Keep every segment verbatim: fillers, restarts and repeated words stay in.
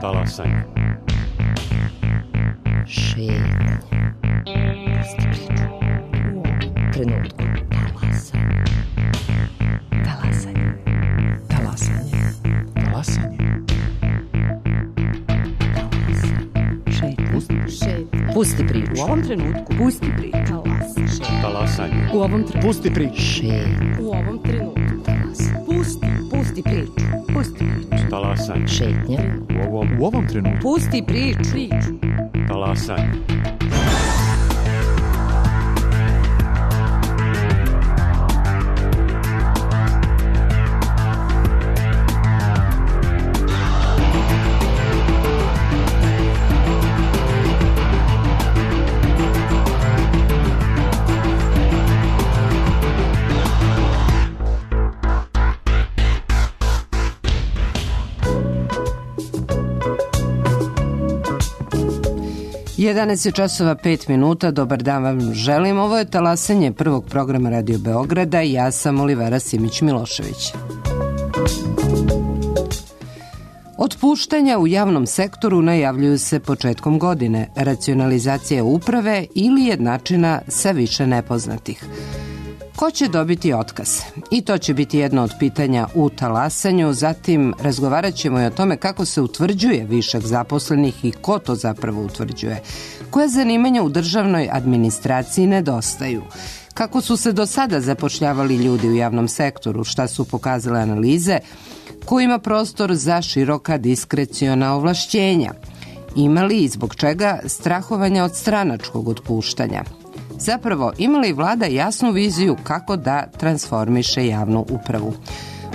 Talasanje. Šetnje. Pusti priču. U ovom trenutku. Talasanje. Talasanje. Talasanje. Talasanje. Šetnje. Pusti priču. U ovom trenutku. Pusti priču. Talasanje. U ovom trenutku. Pusti priču. Šetnje. U ovom trenutku. Talasanje. Pusti. Pusti priču. Pusti priču. Talasanje. Šetnje. U ovom, U ovom trenutku. Pusti priču. Priču. talasanje. jedanaest časova pet minuta, dobar dan vam želim. Ovo je talasanje prvog programa Radio Beograda i ja sam Olivera Simić-Milošević. Otpuštanja u javnom sektoru najavljuju se početkom godine, racionalizacija uprave ili jednačina sa više nepoznatih. Ko će dobiti otkaz? I to će biti jedno od pitanja u talasanju. Zatim razgovarat ćemo i o tome kako se utvrđuje višak zaposlenih i ko to zapravo utvrđuje. Koja zanimanja u državnoj administraciji nedostaju? Kako su se do sada zapošljavali ljudi u javnom sektoru? Šta su pokazale analize? Ko ima prostor za široka diskreciona ovlašćenja? Ima li i zbog čega strahovanja od stranačkog otpuštanja? Zapravo, ima li vlada jasnu viziju kako da transformiše javnu upravu?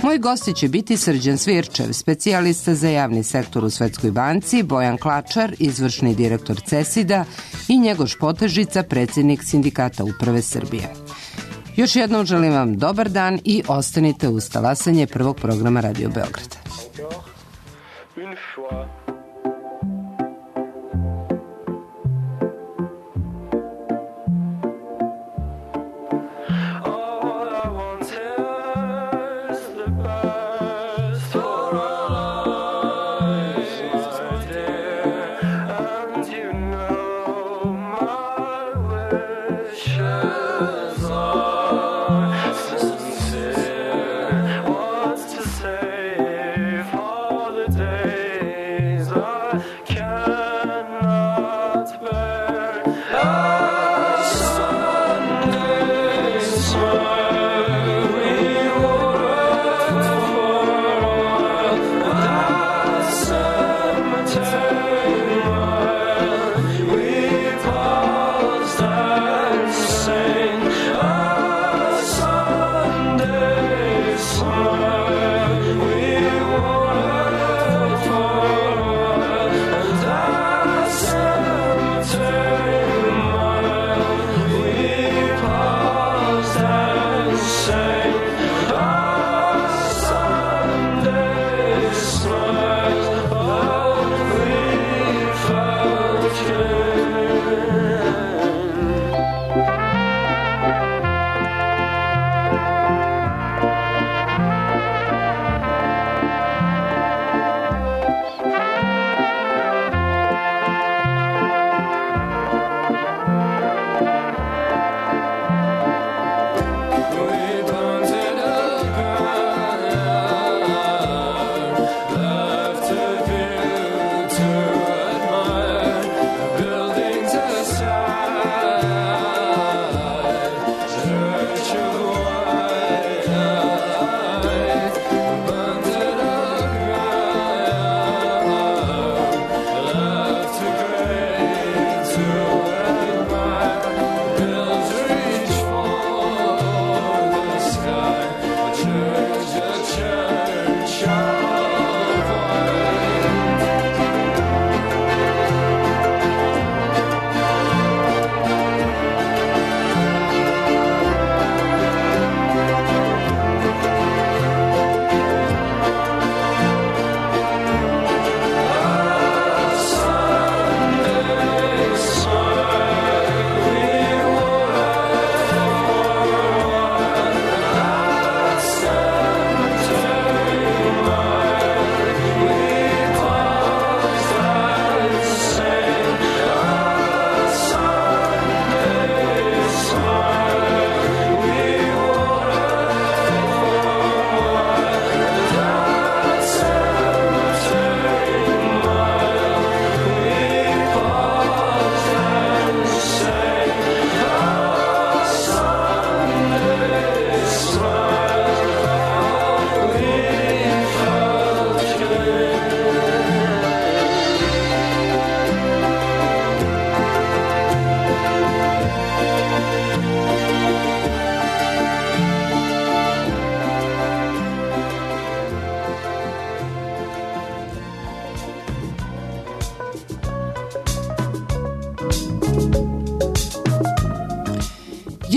Moji gosti će biti Srđan Svirčev, specijalista za javni sektor u Svetskoj banci, Bojan Klačar, izvršni direktor CESID-a i Njegoš Potežica, predsjednik Sindikata uprave Srbije. Još jednom želim vam dobar dan i ostanite uz talasanje prvog programa Radio Beograda.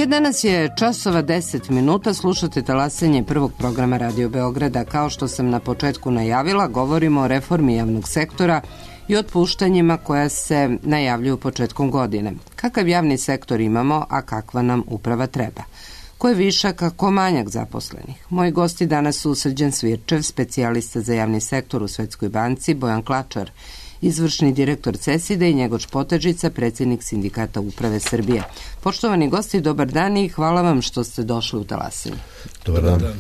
Danas je časova deset minuta, slušate talasanje prvog programa Radio Beograda. Kao što sam na početku najavila, govorimo o reformi javnog sektora i otpuštanjima koja se najavljuju početkom godine. Kakav javni sektor imamo, a kakva nam uprava treba? Ko je višak, a ko manjak zaposlenih? Moji gosti danas su Srđan Svirčev, specijalista za javni sektor u Svetskoj banci, Bojan Klačar, izvršni direktor CESID-a i Njegoš Potežica, predsjednik Sindikata uprave Srbije. Poštovani gosti, dobar dan i hvala vam što ste došli u talasanje. Dobar dan.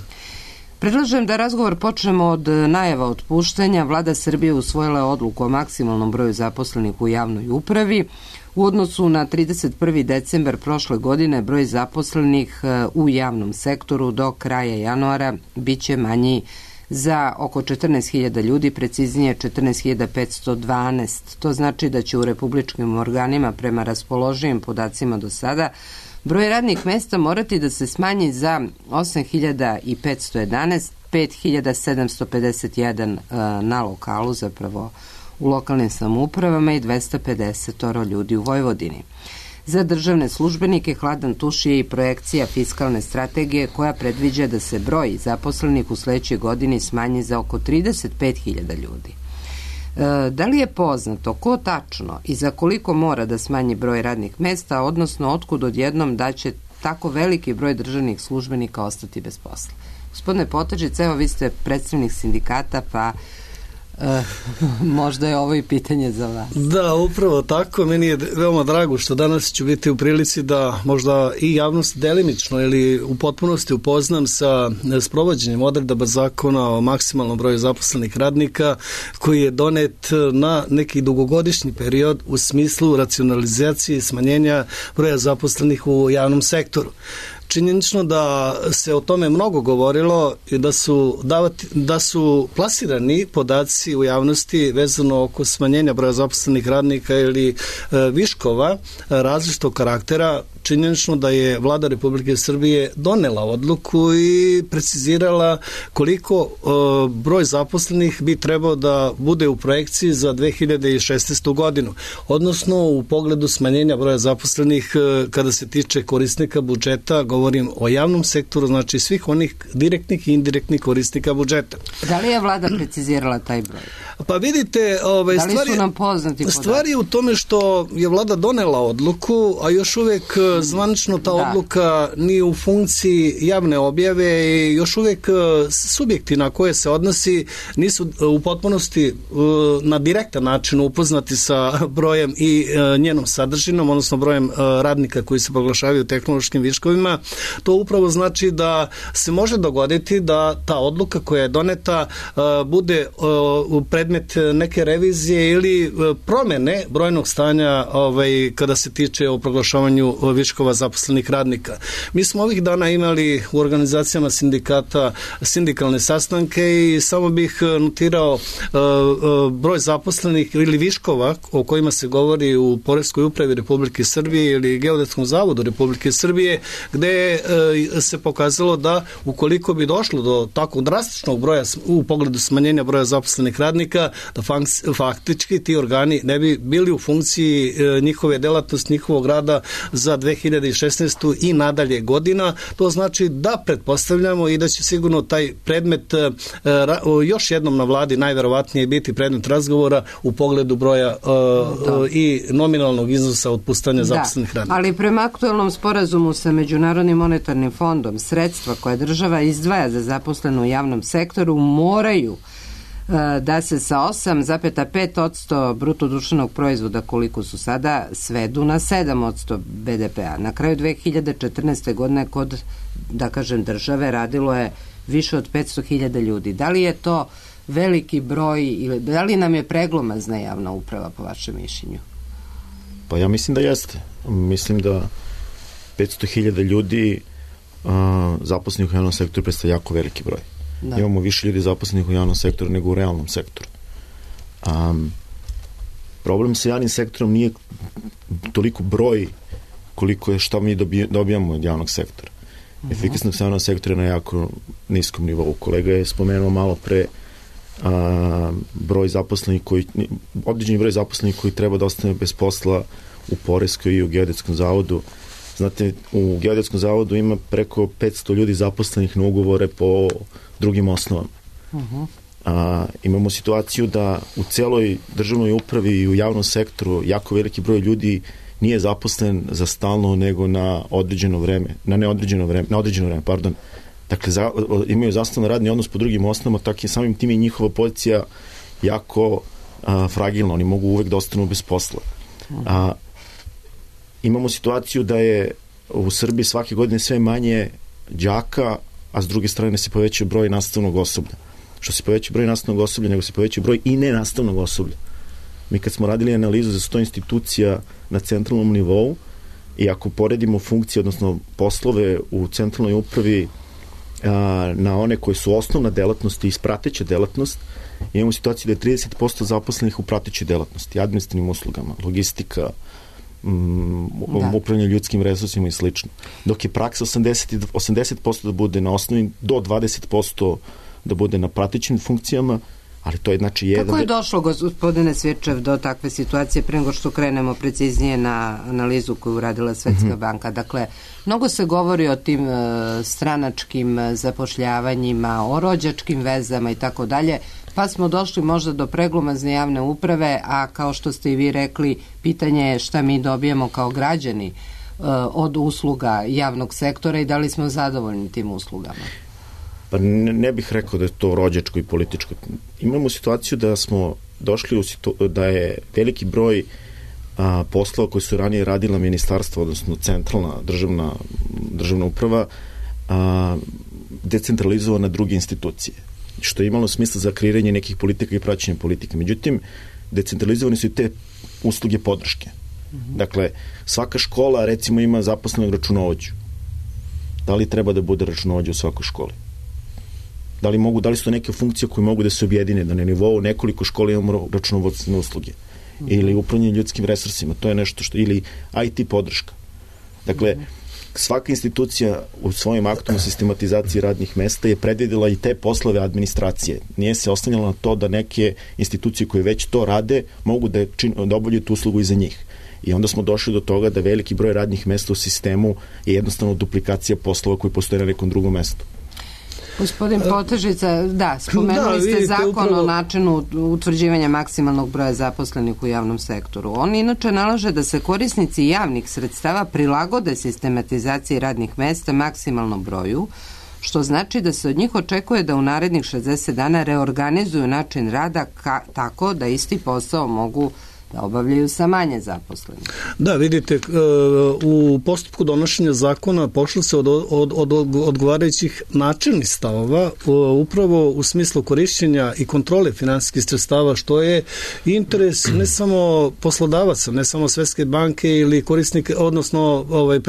Predlažem da razgovor počnemo od najava otpuštanja. Vlada Srbije usvojila je odluku o maksimalnom broju zaposlenih u javnoj upravi. U odnosu na trideset prvi decembar prošle godine broj zaposlenih u javnom sektoru do kraja januara biće manji za oko četrnaest hiljada ljudi, preciznije četrnaest hiljada petsto dvanaest. To znači da će u republičkim organima prema raspoloživim podacima do sada broj radnih mesta morati da se smanji za osam hiljada petsto jedanaest, pet hiljada sedamsto pedeset jedan na lokalu, zapravo u lokalnim samoupravama i dvesta pedeset ljudi u Vojvodini. Za državne službenike hladan tuš je i projekcija fiskalne strategije koja predviđa da se broj zaposlenih u sledećoj godini smanji za oko trideset pet hiljada ljudi. E, da li je poznato ko tačno i za koliko mora da smanji broj radnih mesta, odnosno otkud odjednom da će tako veliki broj državnih službenika ostati bez posla? Gospodine Potežić, evo vi ste predstavnik sindikata, pa E, možda je ovo i pitanje za vas. Da, upravo tako. Meni je veoma drago što danas ću biti u prilici da možda i javnost delimično ili u potpunosti upoznam sa sprovođenjem odredaba zakona o maksimalnom broju zaposlenih radnika koji je donet na neki dugogodišnji period u smislu racionalizacije i smanjenja broja zaposlenih u javnom sektoru. Činjenično da se o tome mnogo govorilo i da su, davati, da su plasirani podaci u javnosti vezano oko smanjenja broja zaposlenih radnika ili e, viškova e, različitog karaktera. Činjenično da je Vlada Republike Srbije donela odluku i precizirala koliko e, broj zaposlenih bi trebao da bude u projekciji za dve hiljade šesnaestu godinu, odnosno u pogledu smanjenja broja zaposlenih e, kada se tiče korisnika budžeta, govorim o javnom sektoru, znači svih onih direktnih i indirektnih korisnika budžeta. Da li je Vlada precizirala taj broj? Pa vidite, ovaj, da li stvari, su nam poznati podaci? Stvari je u tome što je Vlada donela odluku, a još uvek zvanično ta da. odluka nije u funkciji javne objave i još uvek subjekti na koje se odnosi nisu u potpunosti na direktan način upoznati sa brojem i njenom sadržinom, odnosno brojem radnika koji se proglašavaju tehnološkim viškovima. To upravo znači da se može dogoditi da ta odluka koja je doneta bude predmet neke revizije ili promene brojnog stanja ovaj, kada se tiče o proglašavanju viškova zaposlenih radnika. Mi smo ovih dana imali u organizacijama sindikata sindikalne sastanke i samo bih notirao uh, uh, broj zaposlenih ili viškova o kojima se govori u Poreskoj upravi Republike Srbije ili Geodetskom zavodu Republike Srbije, gde uh, se pokazalo da ukoliko bi došlo do takvog drastičnog broja u pogledu smanjenja broja zaposlenih radnika, da faktički ti organi ne bi bili u funkciji uh, njihove delatnosti, njihovog rada za dve hiljade šesnaestu i nadalje godina. To znači da pretpostavljamo i da će sigurno taj predmet uh, još jednom na vladi najverovatnije biti predmet razgovora u pogledu broja uh, uh, i nominalnog iznosa otpuštanja zaposlenih radnika. Ali prema aktualnom sporazumu sa Međunarodnim monetarnim fondom sredstva koje država izdvaja za zaposlenu u javnom sektoru moraju da se sa osam zarez pet posto bruto društvenog proizvoda koliko su sada svedu na sedam posto be de pea. Na kraju dve hiljade četrnaeste. godine kod, da kažem, države radilo je više od petsto hiljada ljudi. Da li je to veliki broj ili da li nam je preglomazna javna uprava po vašem mišljenju? Pa ja mislim da jeste. Mislim da petsto hiljada ljudi uh, zaposlenih u javnom sektoru predstavlja jako veliki broj. Da. Imamo više ljudi zaposlenih u javnom sektoru nego u realnom sektoru. Um, problem sa javnim sektorom nije toliko broj koliko je šta mi dobijamo od javnog sektora. Uh-huh. Efikasnost javnog sektora je na jako niskom nivou. Kolega je spomenuo malo pre a, broj zaposlenih koji, određeni broj zaposlenih koji treba da ostane bez posla u Poreskoj i u Geodetskom zavodu. Znate, u Geodetskom zavodu ima preko petsto ljudi zaposlenih na ugovore po drugim osnovama. Uh-huh. A, imamo situaciju da u celoj državnoj upravi i u javnom sektoru jako veliki broj ljudi nije zaposlen za stalno, nego na određeno vreme, na neodređeno vreme, na određeno vreme, pardon. Dakle, za, imaju zasnovan radni odnos po drugim osnovama, tako je samim tim i njihova pozicija jako a, fragilna, oni mogu uvek da ostanu bez posla. A, imamo situaciju da je u Srbiji svake godine sve manje đaka, a s druge strane se poveća broj nastavnog osoblja. Što se poveća broj nastavnog osoblja, nego se poveća broj i nenastavnog osoblja. Mi kad smo radili analizu za sto institucija na centralnom nivou i ako poredimo funkcije, odnosno poslove u centralnoj upravi a, na one koje su osnovna delatnost i prateća delatnost, imamo situaciju da je trideset posto zaposlenih u pratećoj delatnosti, administrativnim uslugama, logistika, um, upravljanje ljudskim resursima i slično. Dok je praksa osamdeset, osamdeset posto da bude na osnovi, do dvadeset posto da bude na pratećim funkcijama, ali to je znači jedan... Kako je došlo, gospodine Svirčev, do takve situacije pre nego što krenemo preciznije na analizu koju uradila Svetska mm-hmm. banka? Dakle, mnogo se govori o tim uh, stranačkim zapošljavanjima, o rođačkim vezama i tako dalje, pa smo došli možda do preglomazne javne uprave, a kao što ste i vi rekli, pitanje je šta mi dobijemo kao građani uh, od usluga javnog sektora i da li smo zadovoljni tim uslugama. Pa ne, ne bih rekao da je to rođačko i političko. Imamo situaciju da smo došli u situ, da je veliki broj a, poslova koji su ranije radila ministarstva, odnosno centralna državna, državna uprava, a, decentralizovana na druge institucije, što je imalo smisla za kreiranje nekih politika i praćenje politika. Međutim, decentralizovane su i te usluge podrške. Mm-hmm. Dakle, svaka škola, recimo, ima zaposlenog računovođu. Da li treba da bude računovođa u svakoj školi? Da li mogu, da li su to neke funkcije koje mogu da se objedine, da na nivou nekoliko škola imamo računovodstvene usluge mm-hmm. ili upravljanje ljudskim resursima, to je nešto što, ili I T podrška. Dakle, mm-hmm. svaka institucija u svojim aktom o sistematizaciji radnih mesta je predvidela i te poslove administracije. Nije se oslanjala na to da neke institucije koje već to rade mogu da, čin, da obavljaju tu uslugu i za njih. I onda smo došli do toga da veliki broj radnih mesta u sistemu je jednostavno duplikacija poslova koji postoje na nekom drugom mestu. Gospodin Potežica, da, spomenuli da, ste zakon upravo o načinu utvrđivanja maksimalnog broja zaposlenih u javnom sektoru. On inače nalaže da se korisnici javnih sredstava prilagode sistematizaciji radnih mesta maksimalnom broju, što znači da se od njih očekuje da u narednih šezdeset dana reorganizuju način rada ka, tako da isti posao mogu da obavljaju sa manje zaposlenih. Da, vidite, u postupku donošenja zakona pošlo se od, od, od odgovarajućih načelnih stavova upravo u smislu korišćenja i kontrole finansijskih sredstava, što je interes ne samo poslodavaca, ne samo Svetske banke ili korisnike, odnosno ovaj,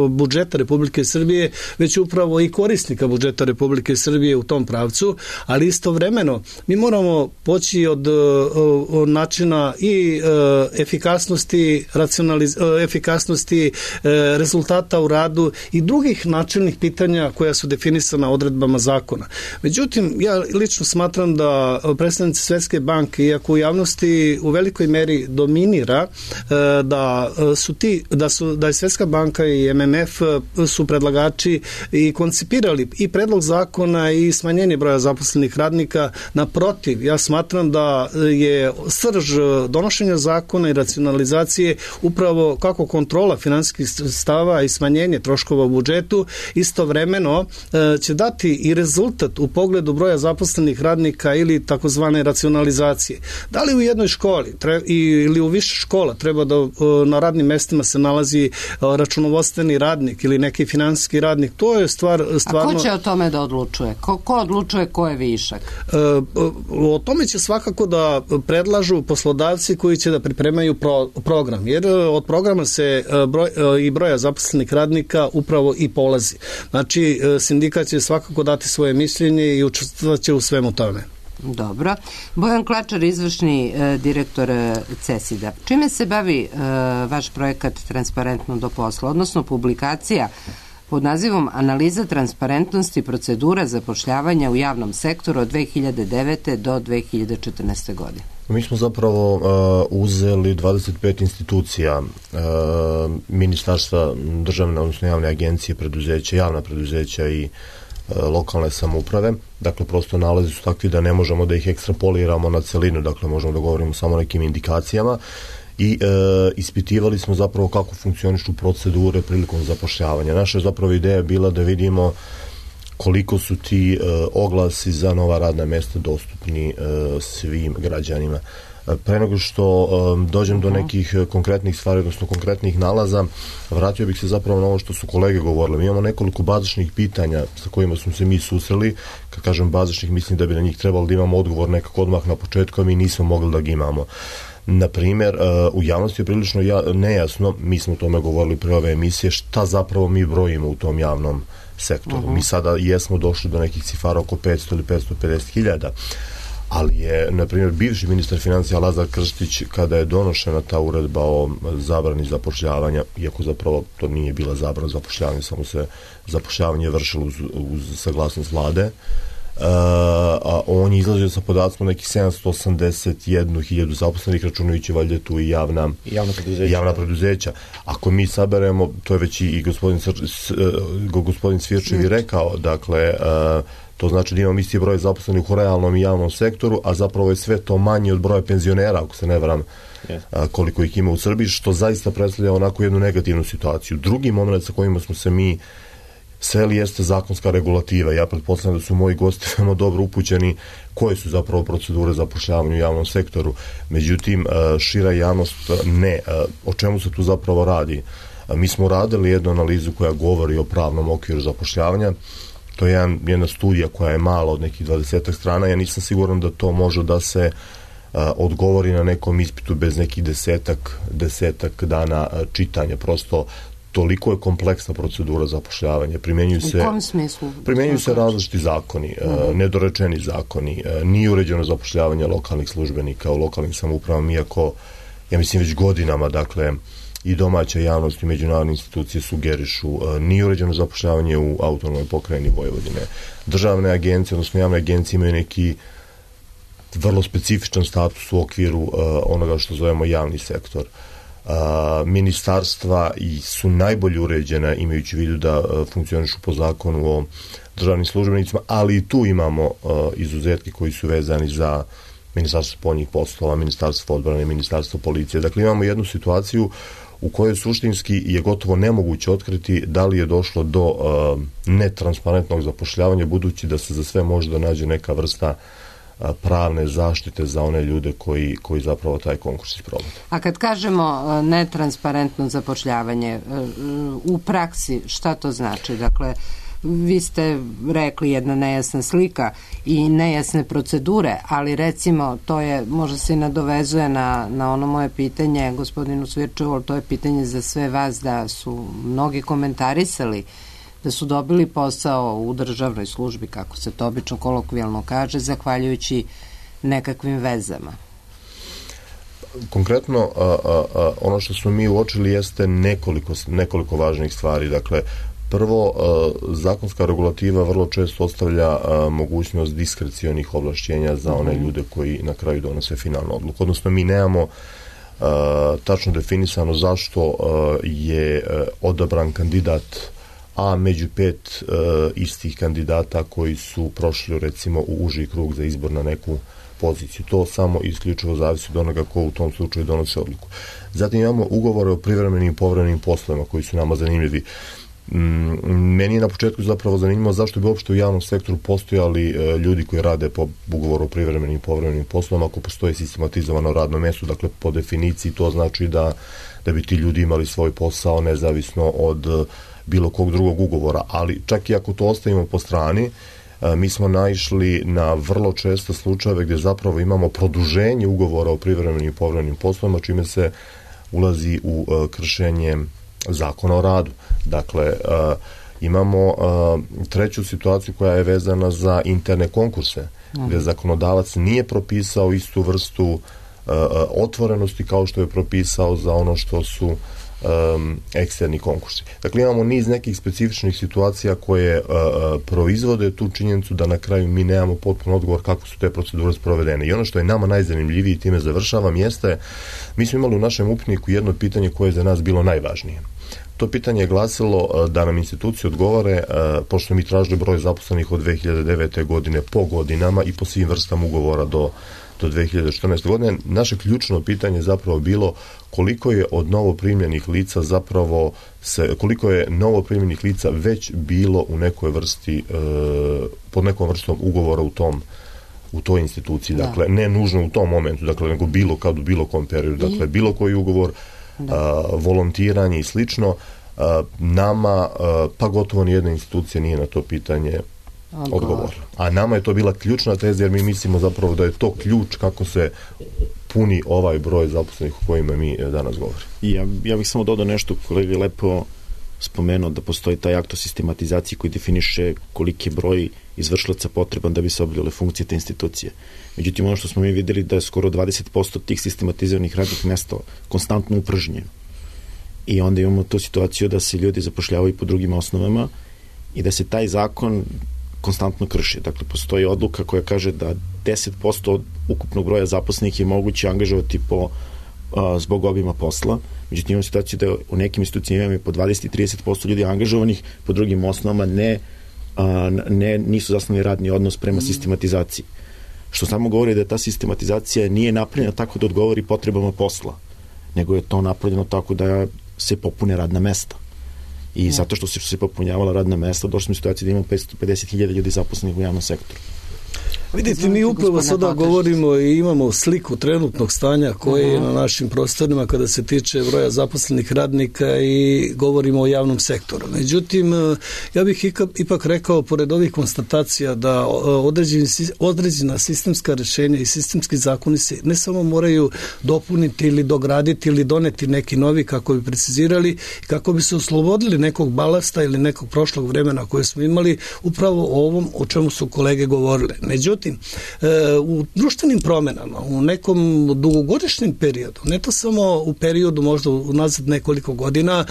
budžeta Republike Srbije, već upravo i korisnika budžeta Republike Srbije u tom pravcu, ali istovremeno mi moramo poći od načina i e, efikasnosti, racionaliz, e, efikasnosti e, rezultata u radu i drugih načelnih pitanja koja su definisana odredbama zakona. Međutim, ja lično smatram da predstavnici Svetske banke, iako u javnosti u velikoj meri dominira e, da su ti, da su da je Svetska banka i M M F su predlagači i koncipirali i predlog zakona i smanjenje broja zaposlenih radnika, naprotiv, ja smatram da je srž donošenja zakona i racionalizacije upravo kako kontrola finansijskih sredstava i smanjenje troškova u budžetu istovremeno e, će dati i rezultat u pogledu broja zaposlenih radnika ili takozvane racionalizacije. Da li u jednoj školi tre, ili u više škola treba da e, na radnim mestima se nalazi e, računovodstveni radnik ili neki finansijski radnik, to je stvar stvarno... A ko će o tome da odlučuje? Ko, ko odlučuje ko je višak? E, o tome će svakako da predlažu poslodavci koji će da pripremaju pro, program, jer od programa se broj, i broja zaposlenih radnika upravo i polazi. Znači, sindikat će svakako dati svoje mišljenje i učestvovaće u svemu tome. Dobro. Bojan Klačar, izvršni e, direktor e, CESID-a. Čime se bavi e, vaš projekat Transparentno do posla, odnosno publikacija pod nazivom Analiza transparentnosti procedura zapošljavanja u javnom sektoru od dve hiljade devete do dve hiljade četrnaeste. godine. Mi smo zapravo uh, uzeli dvadeset pet institucija, uh, ministarstva, državne, odnosno javne agencije, preduzeća, javna preduzeća i uh, lokalne samouprave. Dakle, prosto nalazi su takvi da ne možemo da ih ekstrapoliramo na celinu, dakle možemo da govorimo samo o nekim indikacijama i e, ispitivali smo zapravo kako funkcionišu procedure prilikom zapošljavanja. Naša je zapravo ideja bila da vidimo koliko su ti e, oglasi za nova radna mesta dostupni e, svim građanima. E, pre nego što e, dođem do nekih konkretnih stvari, odnosno konkretnih nalaza, vratio bih se zapravo na ovo što su kolege govorili. Mi imamo nekoliko bazičnih pitanja sa kojima smo se mi susreli. Kad kažem bazičnih, mislim da bi na njih trebalo da imamo odgovor nekako odmah na početku, a mi nismo mogli da ga imamo. Na primjer, u javnosti je prilično nejasno, mi smo o tome govorili pre ove emisije, šta zapravo mi brojimo u tom javnom sektoru. Uh-huh. Mi sada jesmo došli do nekih cifara oko petsto ili petsto pedeset hiljada, ali je, na primjer, bivši ministar financija Lazar Krstić, kada je donošena ta uredba o zabrani zapošljavanja, iako zapravo to nije bila zabrana zapošljavanja, samo se zapošljavanje vršilo uz, uz saglasnost vlade, Uh, a on je izlazio sa podacima nekih sedamsto osamdeset jednu hiljadu zaposlenih, računajući valjda tu i javna, javna, preduzeća. javna preduzeća. Ako mi saberemo, to je već i gospodin, gospodin Svirčev i rekao, dakle, uh, to znači da imamo isti broj zaposlenih u realnom i javnom sektoru, a zapravo je sve to manje od broja penzionera, ako se ne varam, yes. uh, koliko ih ima u Srbiji, što zaista predstavlja onako jednu negativnu situaciju. Drugi moment sa kojima smo se mi seli jeste zakonska regulativa. Ja pretpostavljam da su moji gosti veoma dobro upućeni koje su zapravo procedure zapošljavanja u javnom sektoru. Međutim, šira javnost ne. O čemu se tu zapravo radi? Mi smo radili jednu analizu koja govori o pravnom okviru zapošljavanja. To je jedan, jedna studija koja je mala od nekih dvadesetak strana. Ja nisam siguran da to može da se odgovori na nekom ispitu bez nekih desetak, desetak dana čitanja. Prosto toliko je kompleksna procedura zapošljavanja. Primjenjuju se, u kom smislu? Primjenjuju se različiti zakoni, uh-huh. nedorečeni zakoni, nije uređeno zapošljavanje lokalnih službenika u lokalnim samoupravama, iako, ja mislim, već godinama, dakle, i domaća javnost i međunarodne institucije sugerišu, nije uređeno zapošljavanje u autonomnoj pokrajini Vojvodine. Državne agencije, odnosno javne agencije imaju neki vrlo specifičan status u okviru uh, onoga što zovemo javni sektor. Uh, ministarstva i su najbolje uređena, imajući u vidu da uh, funkcionišu po zakonu o državnim službenicima, ali i tu imamo uh, izuzetke koji su vezani za ministarstvo spoljnih poslova, ministarstvo odbrane, ministarstvo policije. Dakle, imamo jednu situaciju u kojoj suštinski je gotovo nemoguće otkriti da li je došlo do uh, netransparentnog zapošljavanja, budući da se za sve može da nađe neka vrsta pravne zaštite za one ljude koji, koji zapravo taj konkurs isprovode. A kad kažemo netransparentno zapošljavanje, u praksi šta to znači? Dakle, vi ste rekli jedna nejasna slika i nejasne procedure, ali recimo to je, možda se i nadovezuje na, na ono moje pitanje gospodinu Svirčevu, to je pitanje za sve vas, da su mnogi komentarisali da su dobili posao u državnoj službi, kako se to obično kolokvijalno kaže, zahvaljujući nekakvim vezama. Konkretno, a, a, a, ono što smo mi uočili jeste nekoliko, nekoliko važnih stvari. Dakle, prvo, a, zakonska regulativa vrlo često ostavlja a, mogućnost diskrecionih ovlašćenja za one ljude koji na kraju donose finalnu odluku. Odnosno, mi nemamo a, tačno definisano zašto a, je a, odabran kandidat a među pet e, istih kandidata koji su prošli recimo u uži krug za izbor na neku poziciju. To samo isključivo zavisi od onoga ko u tom slučaju donosi odluku. Zatim imamo ugovore o privremenim i povremenim poslovima koji su nama zanimljivi. Mm, meni je na početku zapravo zanimljivo zašto bi uopšte u javnom sektoru postojali e, ljudi koji rade po ugovoru o privremenim i povremenim poslovima ako postoji sistematizovano radno mesto. Dakle, po definiciji to znači da, da bi ti ljudi imali svoj posao nezavisno od bilo kog drugog ugovora, ali čak i ako to ostavimo po strani, mi smo naišli na vrlo često slučajeve gdje zapravo imamo produženje ugovora o privremenim i povremenim poslovima, čime se ulazi u kršenje zakona o radu. Dakle, imamo treću situaciju koja je vezana za interne konkurse, gdje zakonodavac nije propisao istu vrstu otvorenosti kao što je propisao za ono što su um, eksterni konkursi. Dakle, imamo niz nekih specifičnih situacija koje uh, proizvode tu činjenicu da na kraju mi nemamo potpuno odgovor kako su te procedure sprovedene. I ono što je nama najzanimljivije, time završavam, jeste, mi smo imali u našem upitniku jedno pitanje koje je za nas bilo najvažnije. To pitanje je glasilo da nam institucije odgovore, pošto mi tražili broj zaposlenih od dve hiljade devete. godine po godinama i po svim vrstama ugovora do, do dve hiljade četrnaeste. godine. Naše ključno pitanje je zapravo bilo koliko je od novoprimljenih lica zapravo se, koliko je novoprimljenih lica već bilo u nekoj vrsti, pod nekom vrstom ugovora u tom u toj instituciji. Dakle, ne nužno u tom momentu, dakle, nego bilo kad u bilo kom periodu. Dakle, bilo koji ugovor, A, volontiranje i slično, a, nama a, pa gotovo nijedna institucija nije na to pitanje odgovor. A nama je to bila ključna teza, jer mi mislimo zapravo da je to ključ kako se puni ovaj broj zaposlenih o kojima mi danas govorimo. Ja, ja bih samo dodao nešto, kolega lepo spomenuo da postoji taj akt o sistematizaciji koji definiše koliki broj izvršilaca potreban da bi se obavljale funkcije te institucije. Međutim, ono što smo mi videli da je skoro dvadeset posto tih sistematizovanih radnih mesta konstantno upražnjeno. I onda imamo tu situaciju da se ljudi zapošljavaju po drugim osnovama i da se taj zakon konstantno krši. Dakle, postoji odluka koja kaže da deset posto od ukupnog broja zaposlenih je moguće angažovati po, a, zbog obima posla. Međutim, imamo situaciju da u nekim institucijama imamo po dvadeset do trideset posto ljudi angažovanih, po drugim osnovama ne, a, ne nisu zasnovani radni odnos prema sistematizaciji. Što samo govori da ta sistematizacija nije napravljena tako da odgovori potrebama posla, nego je to napravljeno tako da se popune radna mesta. I zato što su se popunjavala radna mesta, došli smo u situaciju da imamo petsto pedeset hiljada ljudi zaposlenih u javnom sektoru. Vidite, mi upravo sada govorimo i imamo sliku trenutnog stanja koje je na našim prostorima kada se tiče broja zaposlenih radnika i govorimo o javnom sektoru. Međutim, ja bih ipak rekao, pored ovih konstatacija, da određeni, određena sistemska rešenja i sistemski zakoni se ne samo moraju dopuniti ili dograditi ili doneti neki novi kako bi precizirali i kako bi se oslobodili nekog balasta ili nekog prošlog vremena koje smo imali upravo o ovom o čemu su kolege govorile. Međutim, u društvenim promenama, u nekom dugogodišnjem periodu, ne to samo u periodu možda unazad nekoliko godina,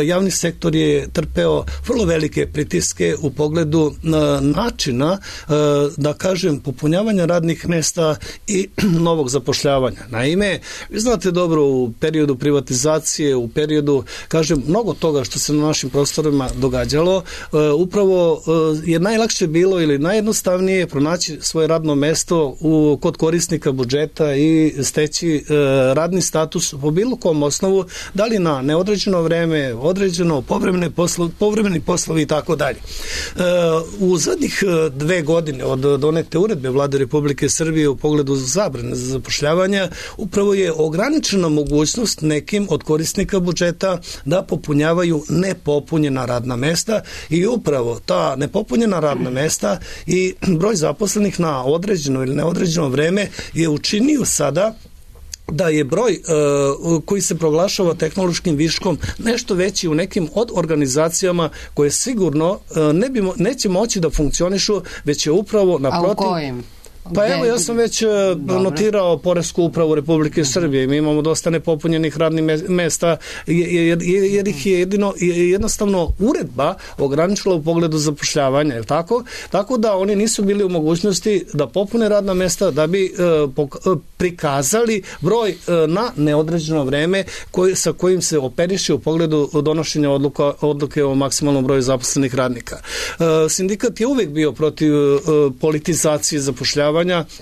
javni sektor je trpeo vrlo velike pritiske u pogledu načina, da kažem, popunjavanja radnih mesta i novog zapošljavanja. Naime, vi znate dobro, u periodu privatizacije, u periodu, kažem, mnogo toga što se na našim prostorima događalo, upravo je najlakše bilo ili najjednostavnije pronaći svoje radno mesto u, kod korisnika budžeta i steći e, radni status po bilo kom osnovu, da li na neodređeno vreme, određeno, povremene poslo, povremeni poslovi i tako dalje. U zadnjih dve godine od donete uredbe Vlade Republike Srbije u pogledu zabrane za zapošljavanja, upravo je ograničena mogućnost nekim od korisnika budžeta da popunjavaju nepopunjena radna mesta i upravo ta nepopunjena radna mesta i broj zaposlenih na određeno ili neodređeno vreme je učinio sada da je broj uh, koji se proglašava tehnološkim viškom nešto veći u nekim od organizacijama koje sigurno uh, ne bi mo- neće moći da funkcionišu, već je upravo naprotiv... A u kojim? Pa evo, ja sam već Dobre. notirao Poresku upravu Republike Srbije. Mi imamo dosta nepopunjenih radnih mesta jer, jer ih je jedino, jednostavno uredba ograničila u pogledu zapošljavanja. Je tako? Tako da oni nisu bili u mogućnosti da popune radna mesta da bi uh, prikazali broj uh, na neodređeno vreme koji, sa kojim se operiše u pogledu donošenja odluka, odluke o maksimalnom broju zaposlenih radnika. Uh, sindikat je uvek bio protiv uh, politizacije zapošljavanja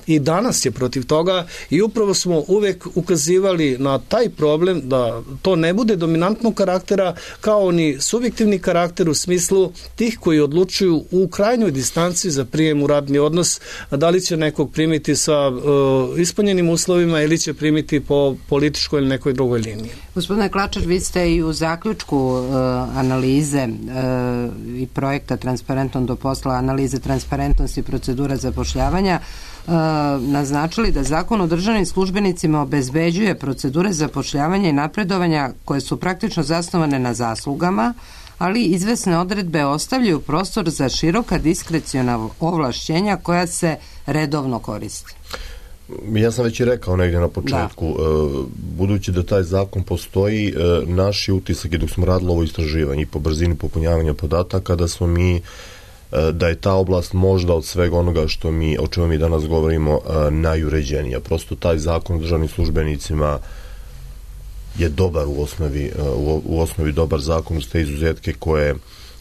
i danas je protiv toga i upravo smo uvek ukazivali na taj problem da to ne bude dominantnog karaktera kao ni subjektivni karakter u smislu tih koji odlučuju u krajnjoj distanci za prijem u radni odnos, da li će nekog primiti sa uh, ispunjenim uslovima ili će primiti po političkoj ili nekoj drugoj liniji. Gospodine Klačar, vi ste i u zaključku uh, analize uh, i projekta Transparentom do posla, analize transparentnosti procedura zapošljavanja Uh, naznačili da Zakon o državnim službenicima obezbeđuje procedure zapošljavanja i napredovanja koje su praktično zasnovane na zaslugama, ali izvesne odredbe ostavljaju prostor za široka diskreciona ovlašćenja koja se redovno koriste. Ja sam već i rekao negdje na početku, da. budući da taj zakon postoji, naš je utisak je dok smo radili ovo istraživanje i po brzini popunjavanja podataka, da smo mi da je ta oblast možda od svega onoga što mi, o čemu mi danas govorimo, najuređenija. Prosto taj zakon o državnim službenicima je dobar u osnovi, u osnovi dobar zakon uz te izuzetke koje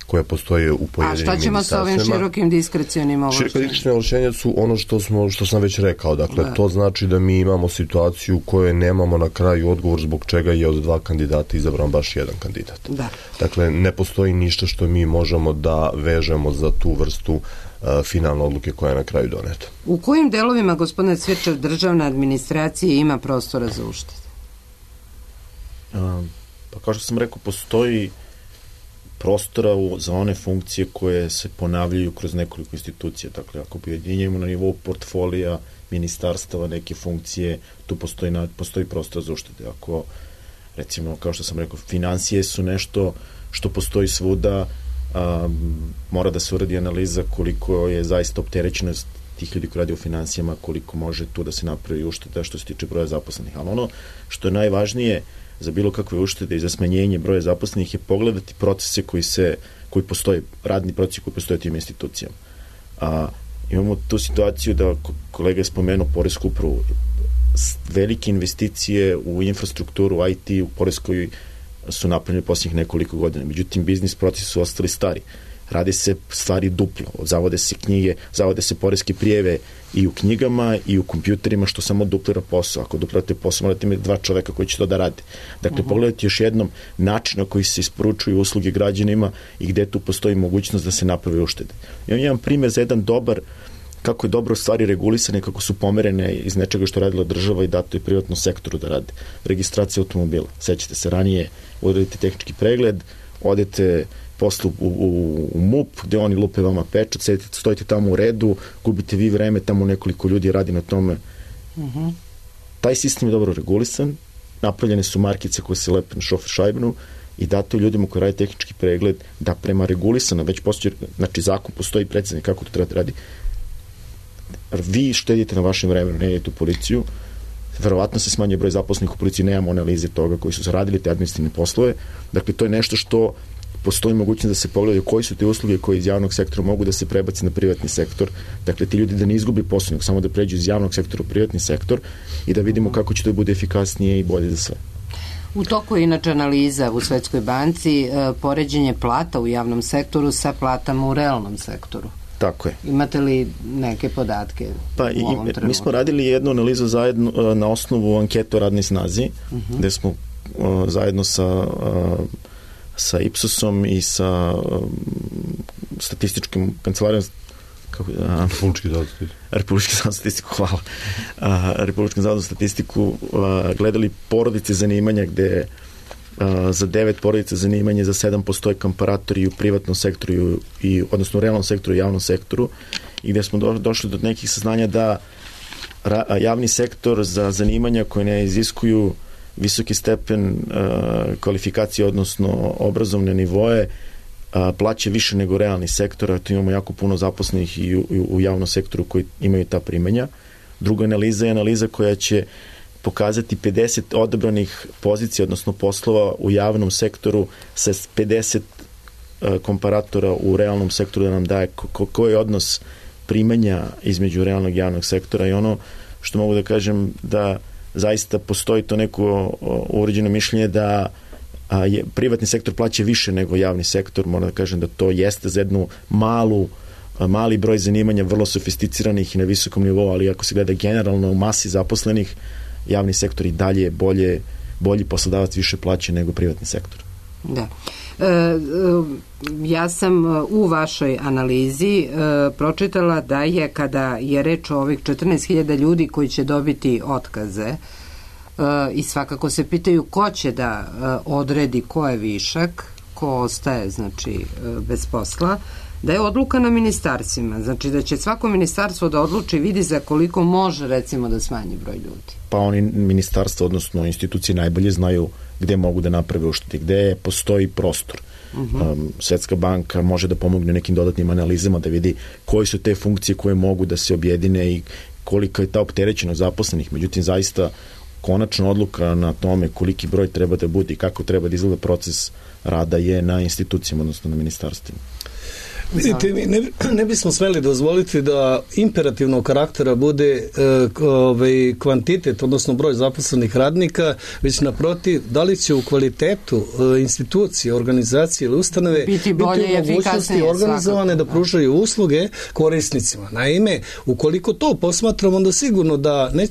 koje postoje u pojedinim ministarstvima. A šta ćemo sa ovim širokim diskrecionim ovlašćenjima? Široka diskrecionim ovlašćenja su ono što, smo, što sam već rekao. Dakle, da. To znači da mi imamo situaciju u kojoj nemamo na kraju odgovor zbog čega je od dva kandidata izabran baš jedan kandidat. Da. Dakle, ne postoji ništa što mi možemo da vežemo za tu vrstu uh, finalne odluke koja je na kraju doneta. U kojim delovima, gospodine Cvičar, državna administracija ima prostora za uštede? Um, pa kao što sam rekao, postoji prostora u, za one funkcije koje se ponavljaju kroz nekoliko institucija. Dakle, ako pojedinjujemo na nivou portfolija, ministarstava, neke funkcije, tu postoji, na, postoji prostor za uštede. Ako, recimo, kao što sam rekao, financije su nešto što postoji svuda, a, mora da se uradi analiza koliko je zaista opterećenost tih ljudi koji radi u finansijama, koliko može tu da se napravi ušteda što se tiče broja zaposlenih. Ali ono što je najvažnije za bilo kakve uštede i za smanjenje broja zaposlenih je pogledati procese koji se, koji postoje, radni procesi koji postoje tim institucijama. A, imamo tu situaciju da kolega je spomenuo poresku upravu, velike investicije u infrastrukturu, u I T, u poreskoj su napravljene posljednjih nekoliko godina. Međutim, biznis procesi su ostali stari. Rade se stvari duplo, zavode se knjige, zavode se poreske prijeve i u knjigama i u kompjuterima, što samo duplira posao. Ako duplirate posao, morate imati dva čoveka koji će to da rade. Dakle, uh-huh. pogledajte još jednom način na koji se isporučuju usluge građanima i gde tu postoji mogućnost da se napravi uštede. I on je jedan primjer za jedan dobar, kako je dobro stvari regulisane, kako su pomerene iz nečega što radila država i dato je privatnom sektoru da rade. Registracija automobila. Sećate se, ranije odradite tehnički pregled, odete poslu u, u, u M U P, gde oni lupe vama pečat, sedite, stojite tamo u redu, gubite vi vreme, tamo nekoliko ljudi radi na tome. Uh-huh. Taj sistem je dobro regulisan, napravljene su markice koje se lepe na šofer šajbnu i dato je ljudima koji radi tehnički pregled da prema regulisana, već postoji, znači zakon postoji precizno kako to treba da radi. Vi štedite na vašem vremenu, ne idete u policiju, verovatno se smanjuje broj zaposlenih u policiji, nemamo analize toga koji su zaradili te administrativne poslove, dakle to je nešto što postoji mogućnost da se pogledaju koji su te usluge koje iz javnog sektora mogu da se prebaci na privatni sektor. Dakle, ti ljudi da ne izgubi posao, nego samo da pređu iz javnog sektora u privatni sektor i da vidimo kako će to bude efikasnije i bolje za sve. U toku je inače analiza u Svetskoj banci e, poređenje plata u javnom sektoru sa platama u realnom sektoru. Tako je. Imate li neke podatke pa, u ovom trenutku? Mi smo radili jednu analizu zajedno na osnovu ankete o radnoj snazi, uh-huh. gde smo uh, zajedno sa uh, sa Ipsosom i sa um, statističkim kancelarijom kako, a, Republički zavod za statistiku. Republički zavod za statistiku, hvala. A, Republički zavod za statistiku a, gledali porodice zanimanja gde a, za devet porodica zanimanja, za sedam postoje komparatori u privatnom sektoru i, odnosno u realnom sektoru i javnom sektoru i gde smo do, došli do nekih saznanja da ra, javni sektor za zanimanja koje ne iziskuju visoki stepen uh, kvalifikacije, odnosno obrazovne nivoe, uh, plaće više nego realni sektor, a tu imamo jako puno zaposlenih i u, u javnom sektoru koji imaju ta primanja. Druga analiza je analiza koja će pokazati pedeset odabranih pozicija, odnosno poslova u javnom sektoru sa pedeset uh, komparatora u realnom sektoru da nam daje ko, koji je odnos primanja između realnog i javnog sektora i ono što mogu da kažem da zaista postoji to neko uređeno mišljenje da a, je, privatni sektor plaća više nego javni sektor, moram da kažem da to jeste za jednu malu, a, mali broj zanimanja vrlo sofisticiranih i na visokom nivou, ali ako se gleda generalno u masi zaposlenih, javni sektor i dalje je bolje, bolji poslodavac više plaća nego privatni sektor. Da. E, e, ja sam u vašoj analizi e, pročitala da je kada je reč o ovih četrnaest hiljada ljudi koji će dobiti otkaze e, i svakako se pitaju ko će da e, odredi ko je višak, ko ostaje znači e, bez posla, da je odluka na ministarstvima, znači da će svako ministarstvo da odluči, vidi za koliko može recimo da smanji broj ljudi. Pa oni ministarstvo, odnosno institucije najbolje znaju gde mogu da naprave uštede, gde postoji prostor. Uh-huh. Um, Svetska banka može da pomogne nekim dodatnim analizama da vidi koje su te funkcije koje mogu da se objedine i kolika je ta opterećenost zaposlenih. Međutim, zaista konačna odluka na tome koliki broj treba da bude i kako treba da izgleda proces rada je na institucijama, odnosno na ministarstvima. Vidite, mi ne, ne bismo smeli dozvoliti da imperativnog karaktera bude e, ovaj, kvantitet, odnosno broj zaposlenih radnika, već naprotiv, da li će u kvalitetu e, institucije, organizacije ili ustanove biti bolje i efikasnije organizovane da pružaju usluge korisnicima. Naime, ukoliko to posmatramo, onda sigurno da ne,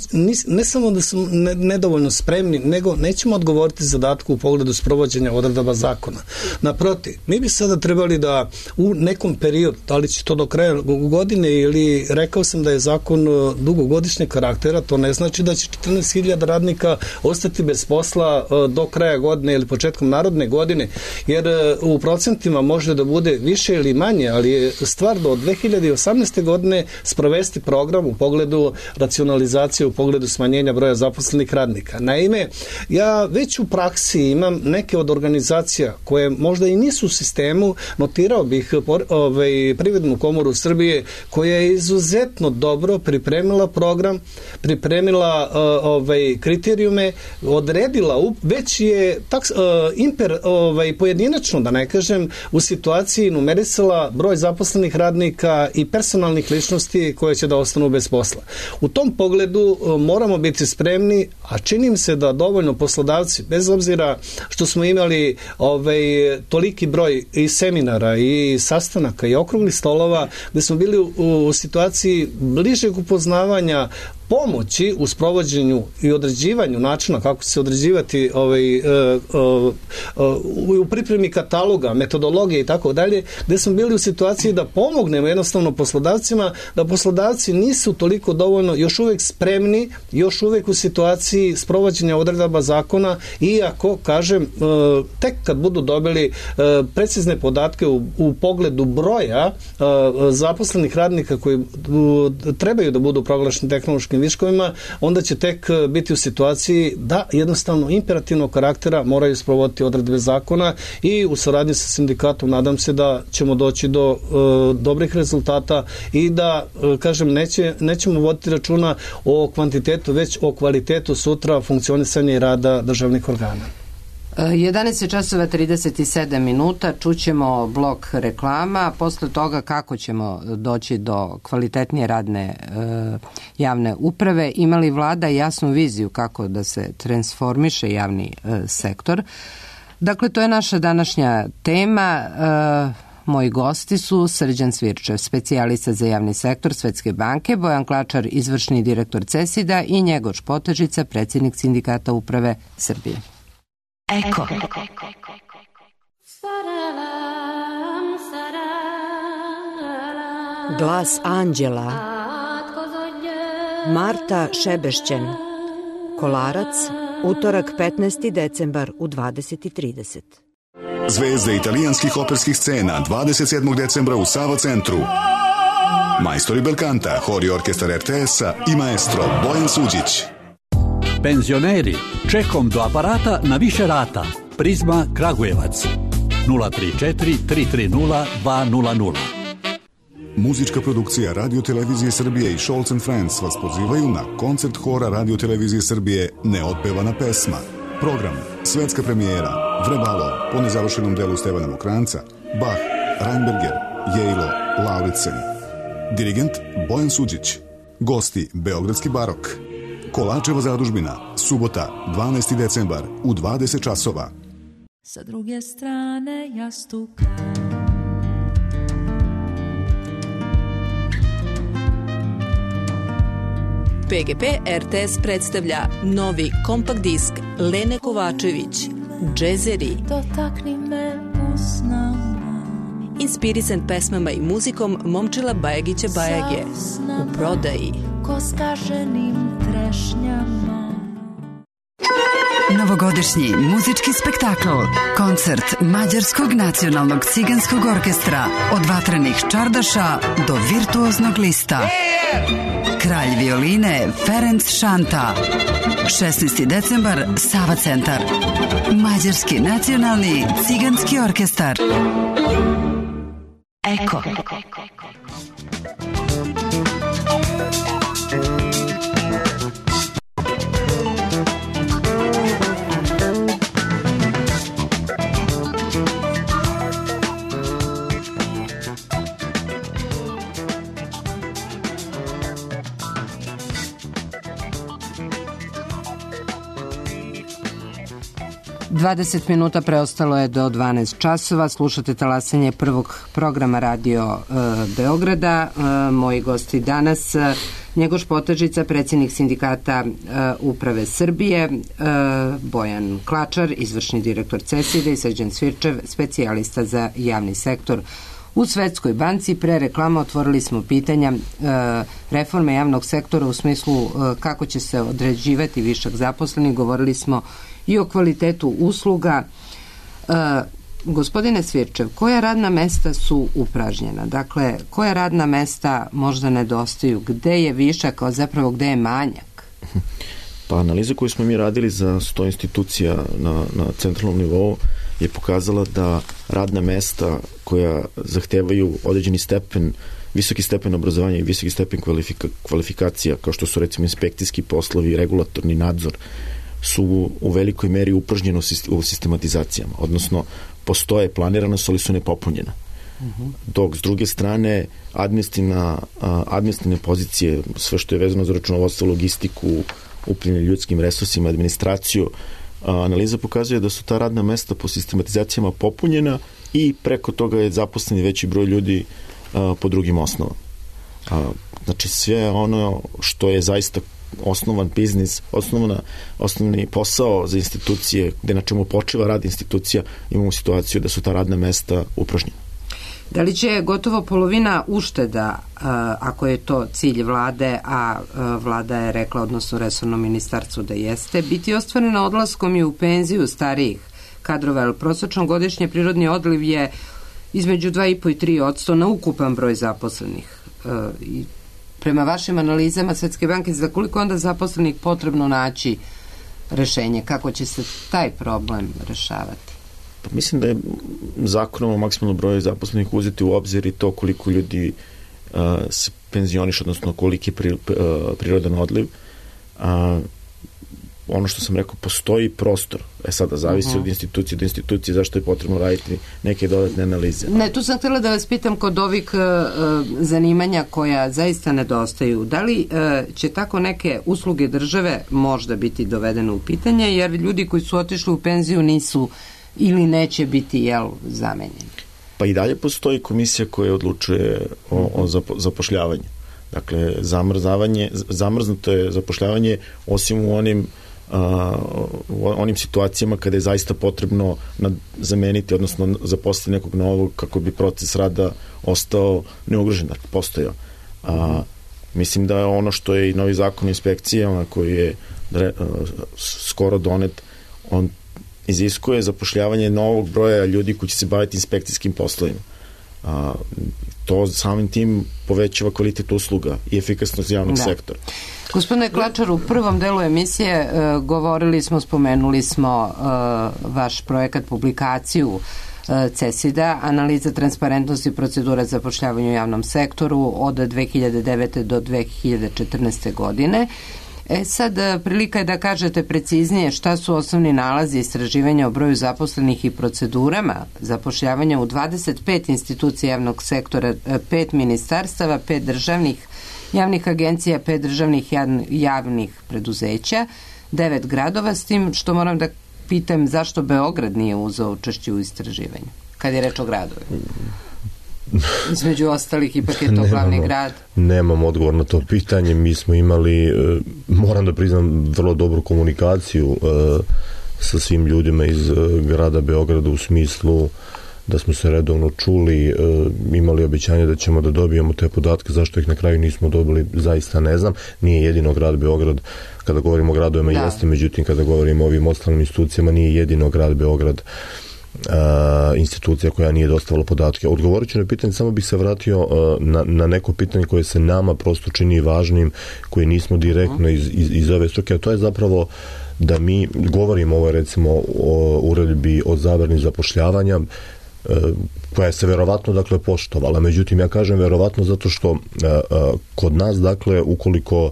ne samo da smo ne, nedovoljno spremni, nego nećemo odgovoriti zadatku u pogledu sprovođenja odredaba zakona. Naprotiv, mi bi sada trebali da u nekom period, da li će to do kraja godine ili rekao sam da je zakon dugogodišnjeg karaktera, to ne znači da će četrnaest hiljada radnika ostati bez posla do kraja godine ili početkom narodne godine, jer u procentima može da bude više ili manje, ali je stvar do dve hiljade osamnaeste godine sprovesti program u pogledu racionalizacije, u pogledu smanjenja broja zaposlenih radnika. Naime, ja već u praksi imam neke od organizacija koje možda i nisu u sistemu, notirao bih ovaj, Privrednu komoru Srbije, koja je izuzetno dobro pripremila program, pripremila uh, ovaj, kriterijume, odredila, već je tak, uh, imper, ovaj, pojedinačno, da ne kažem, u situaciji numerisala broj zaposlenih radnika i personalnih ličnosti koje će da ostanu bez posla. U tom pogledu uh, moramo biti spremni, a činim se da dovoljno poslodavci, bez obzira što smo imali ovaj, toliki broj i seminara i sastanaka i okruglih stolova, gde smo bili u, u situaciji bližeg upoznavanja pomoći u sprovođenju i određivanju načina kako će se određivati ovaj, uh, uh, uh, u pripremi kataloga, metodologije i tako dalje, gde smo bili u situaciji da pomognemo jednostavno poslodavcima, da poslodavci nisu toliko dovoljno još uvek spremni, još uvek u situaciji sprovođenja odredaba zakona, iako, kažem, uh, tek kad budu dobili uh, precizne podatke u, u pogledu broja uh, zaposlenih radnika koji uh, trebaju da budu proglašeni tehnološkim viškovima, onda će tek biti u situaciji da jednostavno imperativnog karaktera moraju sprovoditi odredbe zakona i u saradnji sa sindikatom nadam se da ćemo doći do uh, dobrih rezultata i da, uh, kažem, neće, nećemo voditi računa o kvantitetu, već o kvalitetu sutra funkcionisanja i rada državnih organa. jedanaest časova trideset sedam minuta, čućemo blok reklama, posle toga kako ćemo doći do kvalitetnije radne e, javne uprave, imali vlada jasnu viziju kako da se transformiše javni e, sektor. Dakle, to je naša današnja tema. E, Moji gosti su Srđan Svirčev, specijalista za javni sektor Svetske banke, Bojan Klačar, izvršni direktor CESID-a i Njegoš Potežica, predsjednik Sindikata uprave Srbije. Eko. Glas anđela. Marta Šebešćen. Kolarac, utorak petnaesti decembar u dvadeset i trideset. Zvezde italijanskih operskih scena dvadeset sedmog decembra u Sava centru. Majstori belkanta, hor i orkestar er te es-a i maestro Bojan Suđić. Penzioneri, čekom do aparata na više rata. Prizma Kragujevac. nula tri četiri tri tri nula dva nula nula. Muzička produkcija Radio Televizije Srbije i Scholz and Friends vas pozivaju na koncert hora Radio Televizije Srbije Neotpevana pesma. Program, svetska premijera, Vrebalo, po nezavršenom delu Stevana Mokranca, Bach, Reinberger, Jejlo, Lauritsen. Dirigent Bojan Suđić. Gosti Beogradski barok. Kolačeva zadužbina, subota, dvanaesti decembar u dvadeset časova. Sa druge strane jastuka. P G P R T S predstavlja novi kompakt disk Lene Kovačević, Džezeri. Dotakni me usnama. Inspirisan pesmama i muzikom Momčila Bajagića Bajage. U prodaji. Ko skaženim trešnjama. Novogodišnji muzički spektakl, koncert Mađarskog nacionalnog ciganskog orkestra, od vatrenih čardaša do virtuoznog lista. Kralj violine Ferenc Šanta. šesnaesti decembar, Sava centar. Mađarski nacionalni ciganski orkestar. Eko. dvadeset minuta preostalo je do dvanaest časova. Slušate talasanje prvog programa Radio e, Beograda. E, moji gosti danas, e, Njegoš Potažica, predsjednik sindikata e, Uprave Srbije, e, Bojan Klačar, izvršni direktor CESID-a i Srđan Svirčev, specijalista za javni sektor u Svetskoj banci. Pre reklama otvorili smo pitanja e, reforme javnog sektora u smislu e, kako će se određivati višak zaposlenih. Govorili smo i o kvalitetu usluga. E, gospodine Svirčev, koja radna mesta su upražnjena? Dakle, koja radna mesta možda nedostaju? Gde je višak, a zapravo gde je manjak? Pa analiza koju smo mi radili za sto institucija na, na centralnom nivou je pokazala da radna mesta koja zahtevaju određeni stepen, visoki stepen obrazovanja i visoki stepen kvalifika, kvalifikacija, kao što su recimo inspekcijski poslovi, regulatorni nadzor, su u velikoj meri upražnjeno u sistematizacijama, odnosno postoje, planirana su, ali su nepopunjena. Uh-huh. Dok s druge strane administrativna, administrativne pozicije, sve što je vezano za računovodstvo, logistiku, upravljanje ljudskim resursima, administraciju, analiza pokazuje da su ta radna mesta po sistematizacijama popunjena i preko toga je zaposleni veći broj ljudi a, po drugim osnovama. A, znači sve ono što je zaista osnovan biznis, osnovna, osnovni posao za institucije, gde na čemu počeva rad institucija, imamo situaciju da su ta radna mesta upražnjena. Da li će gotovo polovina ušteda, ako je to cilj vlade, a vlada je rekla, odnosno resorno ministarstvo da jeste, biti ostvarena odlaskom i u penziju starijih kadrova, jer prosečno godišnje prirodni odliv je između dva i po i tri posto na ukupan broj zaposlenih. I prema vašim analizama Svetske banke, za koliko onda zaposlenih potrebno naći rešenje? Kako će se taj problem rešavati? Pa mislim da je zakonom o maksimalnom broju zaposlenih uzeti u obzir i to koliko ljudi uh, se penzioniš, odnosno koliki je pri, uh, prirodan odliv. Uh, ono što sam rekao, postoji prostor. E sada, zavisi uh-huh. od institucije do institucije zašto je potrebno raditi neke dodatne analize. Ne, tu sam htjela da vas pitam kod ovih uh, zanimanja koja zaista nedostaju. Da li uh, će tako neke usluge države možda biti dovedene u pitanje, jer ljudi koji su otišli u penziju nisu ili neće biti, jel, zamenjeni? Pa i dalje postoji komisija koja odlučuje o, o zapo, zapošljavanju. Dakle, zamrzavanje, zamrznuto je zapošljavanje osim u onim a, u onim situacijama kada je zaista potrebno nad, zameniti, odnosno zaposliti nekog novog kako bi proces rada ostao neugrožen, dakle, postojao. A, mislim da je ono što je i novi zakon o inspekcijama koji je a, skoro donet, on iziskuje zapošljavanje novog broja ljudi koji će se baviti inspekcijskim poslovima. A, to samim tim povećava kvalitet usluga i efikasnost javnog da. sektora. Gospodine Klačar, u prvom delu emisije e, govorili smo, spomenuli smo e, vaš projekat, publikaciju e, CESID-a, analiza transparentnosti procedura zapošljavanja u javnom sektoru od dve hiljade devete do dve hiljade četrnaeste. godine. E sad, prilika je da kažete preciznije šta su osnovni nalazi istraživanja o broju zaposlenih i procedurama zapošljavanja u dvadeset pet institucija javnog sektora, pet ministarstava, pet državnih javnih agencija, pet državnih javnih preduzeća, devet gradova, s tim što moram da pitam zašto Beograd nije uzeo učešće u istraživanju, kad je reč o gradovima. Između ostalih, ipak je to nemamo, glavni grad. Nemam odgovor na to pitanje. Mi smo imali, moram da priznam, vrlo dobru komunikaciju sa svim ljudima iz grada Beograda u smislu da smo se redovno čuli, imali obećanje da ćemo da dobijemo te podatke, zašto ih na kraju nismo dobili, zaista ne znam. Nije jedino grad Beograd, kada govorimo o gradovima da. jeste, međutim kada govorimo o ovim ostalim institucijama, nije jedino grad Beograd Uh, institucija koja nije dostavila podatke. Odgovorit ću na pitanje, samo bih se vratio uh, na, na neko pitanje koje se nama prosto čini važnim, koje nismo direktno iz, iz, iz ove struke, a to je zapravo da mi govorimo ovo recimo o uredbi o zabrani zapošljavanja uh, koja se verovatno dakle poštovala. Međutim, ja kažem verovatno zato što uh, uh, kod nas dakle ukoliko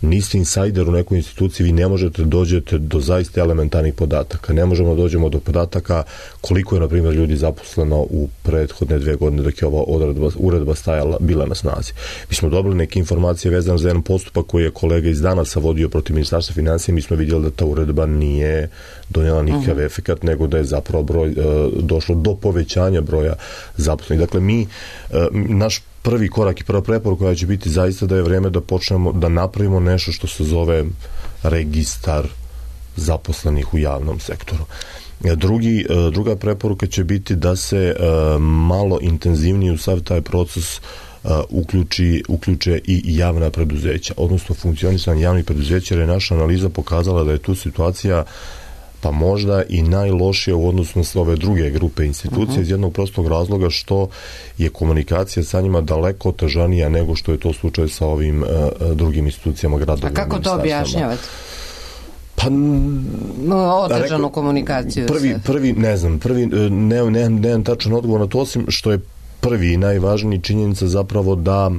niste insajder u nekoj instituciji, vi ne možete dođete do zaista elementarnih podataka. Ne možemo da dođemo do podataka koliko je, na primjer, ljudi zaposleno u prethodne dve godine dok je ova odredba, uredba stajala, bila na snazi. Mi smo dobili neke informacije vezane za jedan postupak koji je kolega iz Danasa vodio protiv Ministarstva financija. Mi smo vidjeli da ta uredba nije donijela nikakav uh-huh. efekat, nego da je zapravo broj, došlo do povećanja broja zaposlenih. Dakle, mi, naš prvi korak i prva preporuka koja će biti zaista da je vreme da počnemo da napravimo nešto što se zove registar zaposlenih u javnom sektoru. Drugi, druga preporuka će biti da se malo intenzivnije u sav taj proces uključi, uključe i javna preduzeća, odnosno funkcionisanje javnih preduzeća, jer je naša analiza pokazala da je tu situacija pa možda i najlošije u odnosu na sve ove druge grupe institucije, uh-huh. iz jednog prostog razloga što je komunikacija sa njima daleko otežanija nego što je to slučaj sa ovim uh, drugim institucijama gradovima. A kako to objašnjavate? Pa, no, otežanu rekao, komunikaciju. Prvi, prvi, ne znam, prvi, ne, ne, nemam tačan odgovor na to, osim što je prvi i najvažniji činjenica zapravo da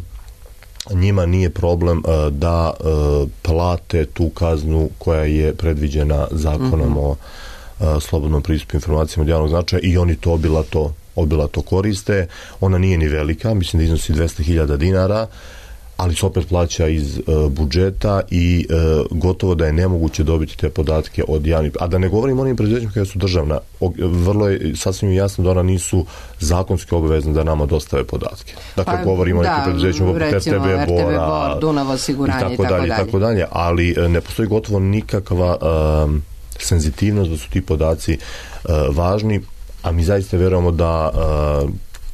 njima nije problem uh, da uh, plate tu kaznu koja je predviđena zakonom mm-hmm. o uh, slobodnom pristupu informacijama od javnog značaja i oni to obilato, obilato koriste. Ona nije ni velika, mislim da iznosi dvesta hiljada dinara, ali se opet plaća iz uh, budžeta i uh, gotovo da je nemoguće dobiti te podatke od javnih. A da ne govorim o onim preduzećima koja su državna, o, vrlo je sasvim jasno da ona nisu zakonski obavezne da nama dostave podatke. Dakle, pa, govorimo o nekim preduzećima poput R T V Bora, Dunav osiguranje i tako dalje. Tako dalje, ali uh, ne postoji gotovo nikakva uh, senzitivnost da su ti podaci uh, važni, a mi zaista vjerujemo da uh,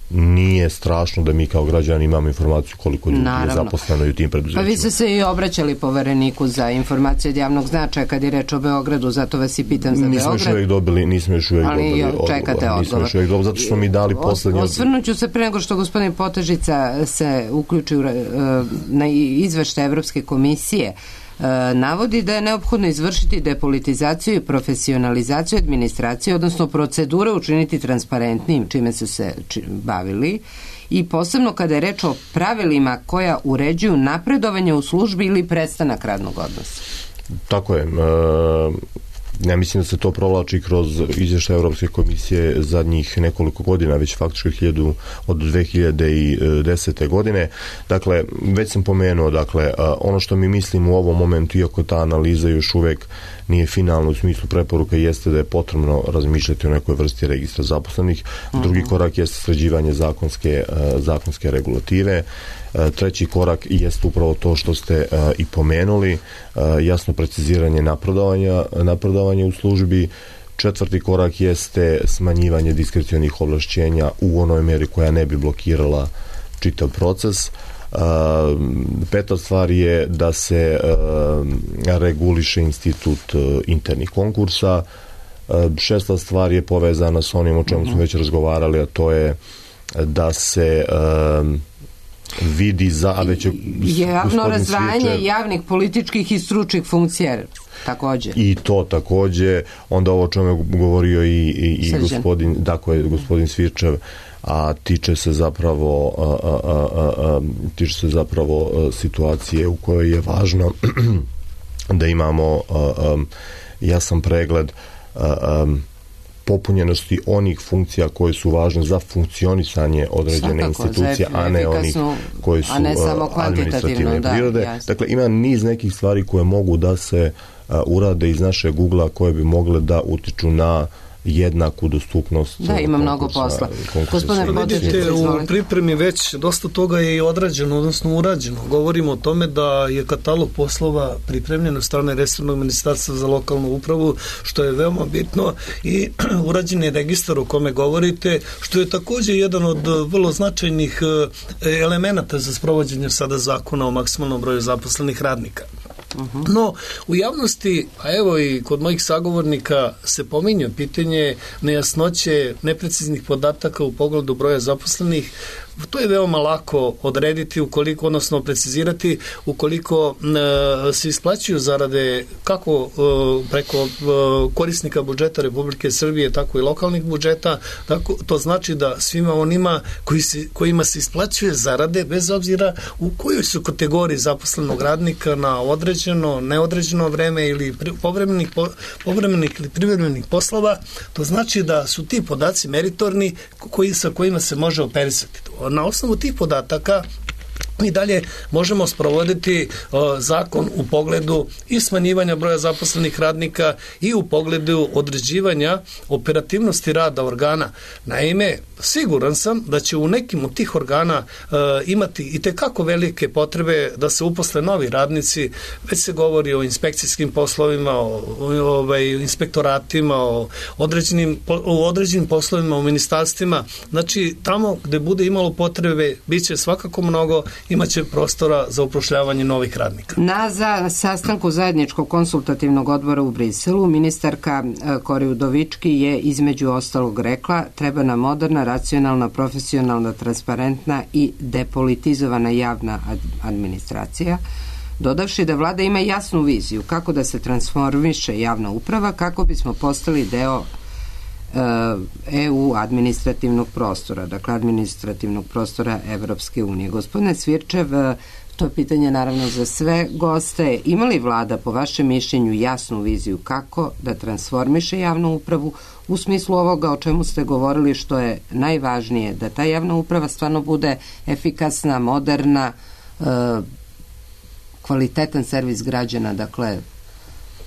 nije strašno da mi kao građani imamo informaciju koliko ljudi Naravno. je zaposleno i u tim preduzećima. Pa vi ste se i obraćali povereniku za informacije od javnog značaja kad je reč o Beogradu, zato vas i pitam za nismo Beograd. Još uvijek dobili, nismo još uvijek Ali dobili odgovor. Čekate odgovor. Nismo još uvijek dobili, zato što mi dali poslednji odgovor. Osvrnut ću se pre nego što gospodin Potežica se uključi na izveštaj Evropske komisije. Navodi da je neophodno izvršiti depolitizaciju i profesionalizaciju administracije, odnosno procedure učiniti transparentnim, čime su se bavili, i posebno kada je reč o pravilima koja uređuju napredovanje u službi ili prestanak radnog odnosa. Tako je. E, ja mislim da se to provlači kroz izvještaj Evropske komisije zadnjih nekoliko godina, već faktički hiljadu, od dve hiljade desete. godine. Dakle, već sam pomenuo, dakle, ono što mi mislimo u ovom momentu, iako ta analiza još uvijek nije finalna u smislu preporuka, jeste da je potrebno razmišljati o nekoj vrsti registra zaposlenih. Drugi uh-huh. korak jeste sređivanje zakonske, zakonske regulative. Treći korak jeste upravo to što ste uh, i pomenuli, uh, jasno preciziranje napredovanja, napredovanja u službi. Četvrti korak jeste smanjivanje diskrecionih ovlašćenja u onoj mjeri koja ne bi blokirala čitav proces. Uh, peta stvar je da se uh, reguliše institut uh, internih konkursa. Uh, šesta stvar je povezana s onim o čemu uh-huh. smo već razgovarali, a to je da se uh, vidi za, a već je javno razdvajanje Svičer, javnih političkih i stručnih funkcija također. I to također, onda ovo o čemu je govorio i, i, i gospodin, dakle, gospodin Svirčev, a tiče se zapravo a, a, a, a, tiče se zapravo a, situacije u kojoj je važno da imamo a, a, jasan pregled a, a, popunjenosti onih funkcija koje su važne za funkcionisanje određene Svakako, institucije, a ne onih koji su administrativne prirode. Da, dakle, ima niz nekih stvari koje mogu da se uh, urade iz naše Google-a koje bi mogle da utiču na jednaku dostupnost. Da, ima mnogo posla. Gospodine, vidite, u pripremi već dosta toga je i odrađeno, odnosno urađeno. Govorimo o tome da je katalog poslova pripremljen od strane resornog ministarstva za lokalnu upravu, što je veoma bitno, i urađen je registar o kome govorite, što je također jedan od vrlo značajnih elemenata za sprovođenje sada zakona o maksimalnom broju zaposlenih radnika. Uh-huh. No, u javnosti, a evo i kod mojih sagovornika se pominje pitanje nejasnoće, nepreciznih podataka u pogledu broja zaposlenih. to je veoma lako odrediti ukoliko, odnosno precizirati ukoliko e, se isplaćuju zarade kako e, preko e, korisnika budžeta Republike Srbije, tako i lokalnih budžeta, tako, to znači da svima onima koji se, kojima se isplaćuje zarade, bez obzira u kojoj su kategoriji zaposlenog radnika na određeno, neodređeno vreme ili povremenih, povremenih ili privremenih poslova, to znači da su ti podaci meritorni koji, sa kojima se može operisati. Na osnovu tih podataka mi dalje možemo sprovoditi uh, zakon u pogledu i smanjivanja broja zaposlenih radnika i u pogledu određivanja operativnosti rada organa. Naime, siguran sam da će u nekim od tih organa uh, imati i tekako velike potrebe da se uposle novi radnici. Već se govori o inspekcijskim poslovima, o, o, ovaj, inspektoratima, o određenim, o određenim poslovima u ministarstvima. Znači, tamo gde bude imalo potrebe, bit će svakako mnogo, imaće prostora za upošljavanje novih radnika. Na za sastanku zajedničkog konsultativnog odbora u Briselu ministarka Kori Udovički je između ostalog rekla: treba nam moderna, racionalna, profesionalna, transparentna i depolitizovana javna administracija, dodavši da vlada ima jasnu viziju kako da se transformiše javna uprava kako bismo postali deo E U administrativnog prostora, dakle administrativnog prostora Evropske unije. Gospodine Cvirčev, to je pitanje naravno za sve goste. Ima li vlada po vašem mišljenju jasnu viziju kako da transformiše javnu upravu u smislu ovoga o čemu ste govorili, što je najvažnije, da ta javna uprava stvarno bude efikasna, moderna, kvalitetan servis građana, dakle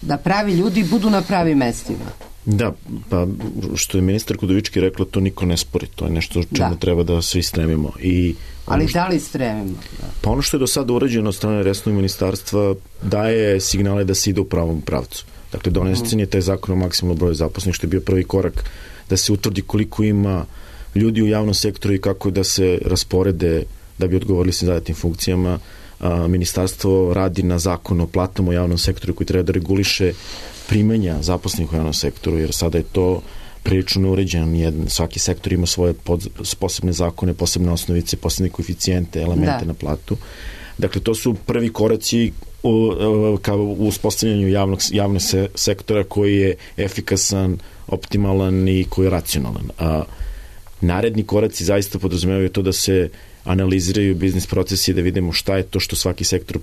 da pravi ljudi budu na pravim mestima? Da, pa što je ministar Udovički rekla, to niko ne spori, to je nešto čemu da. treba da svi stremimo. I Ali što, da li stremimo? Da. Pa ono što je do sada urađeno od strane resornog ministarstva daje signale da se ide u pravom pravcu. Dakle, donesen je taj zakon o maksimalnom broju zaposlenih, što je bio prvi korak da se utvrdi koliko ima ljudi u javnom sektoru i kako da se rasporede da bi odgovorili svim zadatim funkcijama. A, ministarstvo radi na zakon o platama u javnom sektoru koji treba da reguliše primanja zaposlenih u javnom sektoru, jer sada je to prilično neuređeno. Svaki sektor ima svoje pod, posebne zakone, posebne osnovice, posebne koeficijente, elemente da. na platu. Dakle, to su prvi koraci u, u, kao u uspostavljanju javnog, javnog se, sektora koji je efikasan, optimalan i koji je racionalan. A naredni koraci zaista podrazumevaju to da se analiziraju biznis procesi, da vidimo šta je to što svaki sektor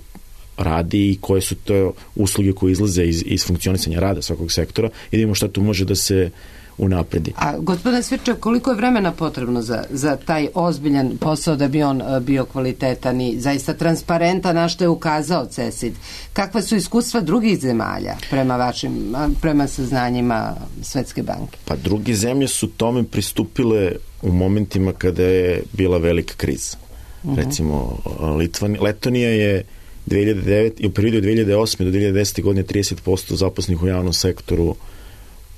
radi i koje su to usluge koje izlaze iz, iz funkcionisanja rada svakog sektora i da vidimo šta tu može da se unapredi. A gospodine Svirčev, koliko je vremena potrebno za, za taj ozbiljan posao da bi on bio kvalitetan i zaista transparentan, na što je ukazao C E S I D? Kakva su iskustva drugih zemalja prema vašim, prema saznanjima Svetske banke? Pa druge zemlje su tome pristupile u momentima kada je bila velika kriza. Uh-huh. Recimo, Litvan, Letonija je dve hiljade devete, u periodu od dve hiljade osme do dve hiljade desete godine trideset posto zaposlenih u javnom sektoru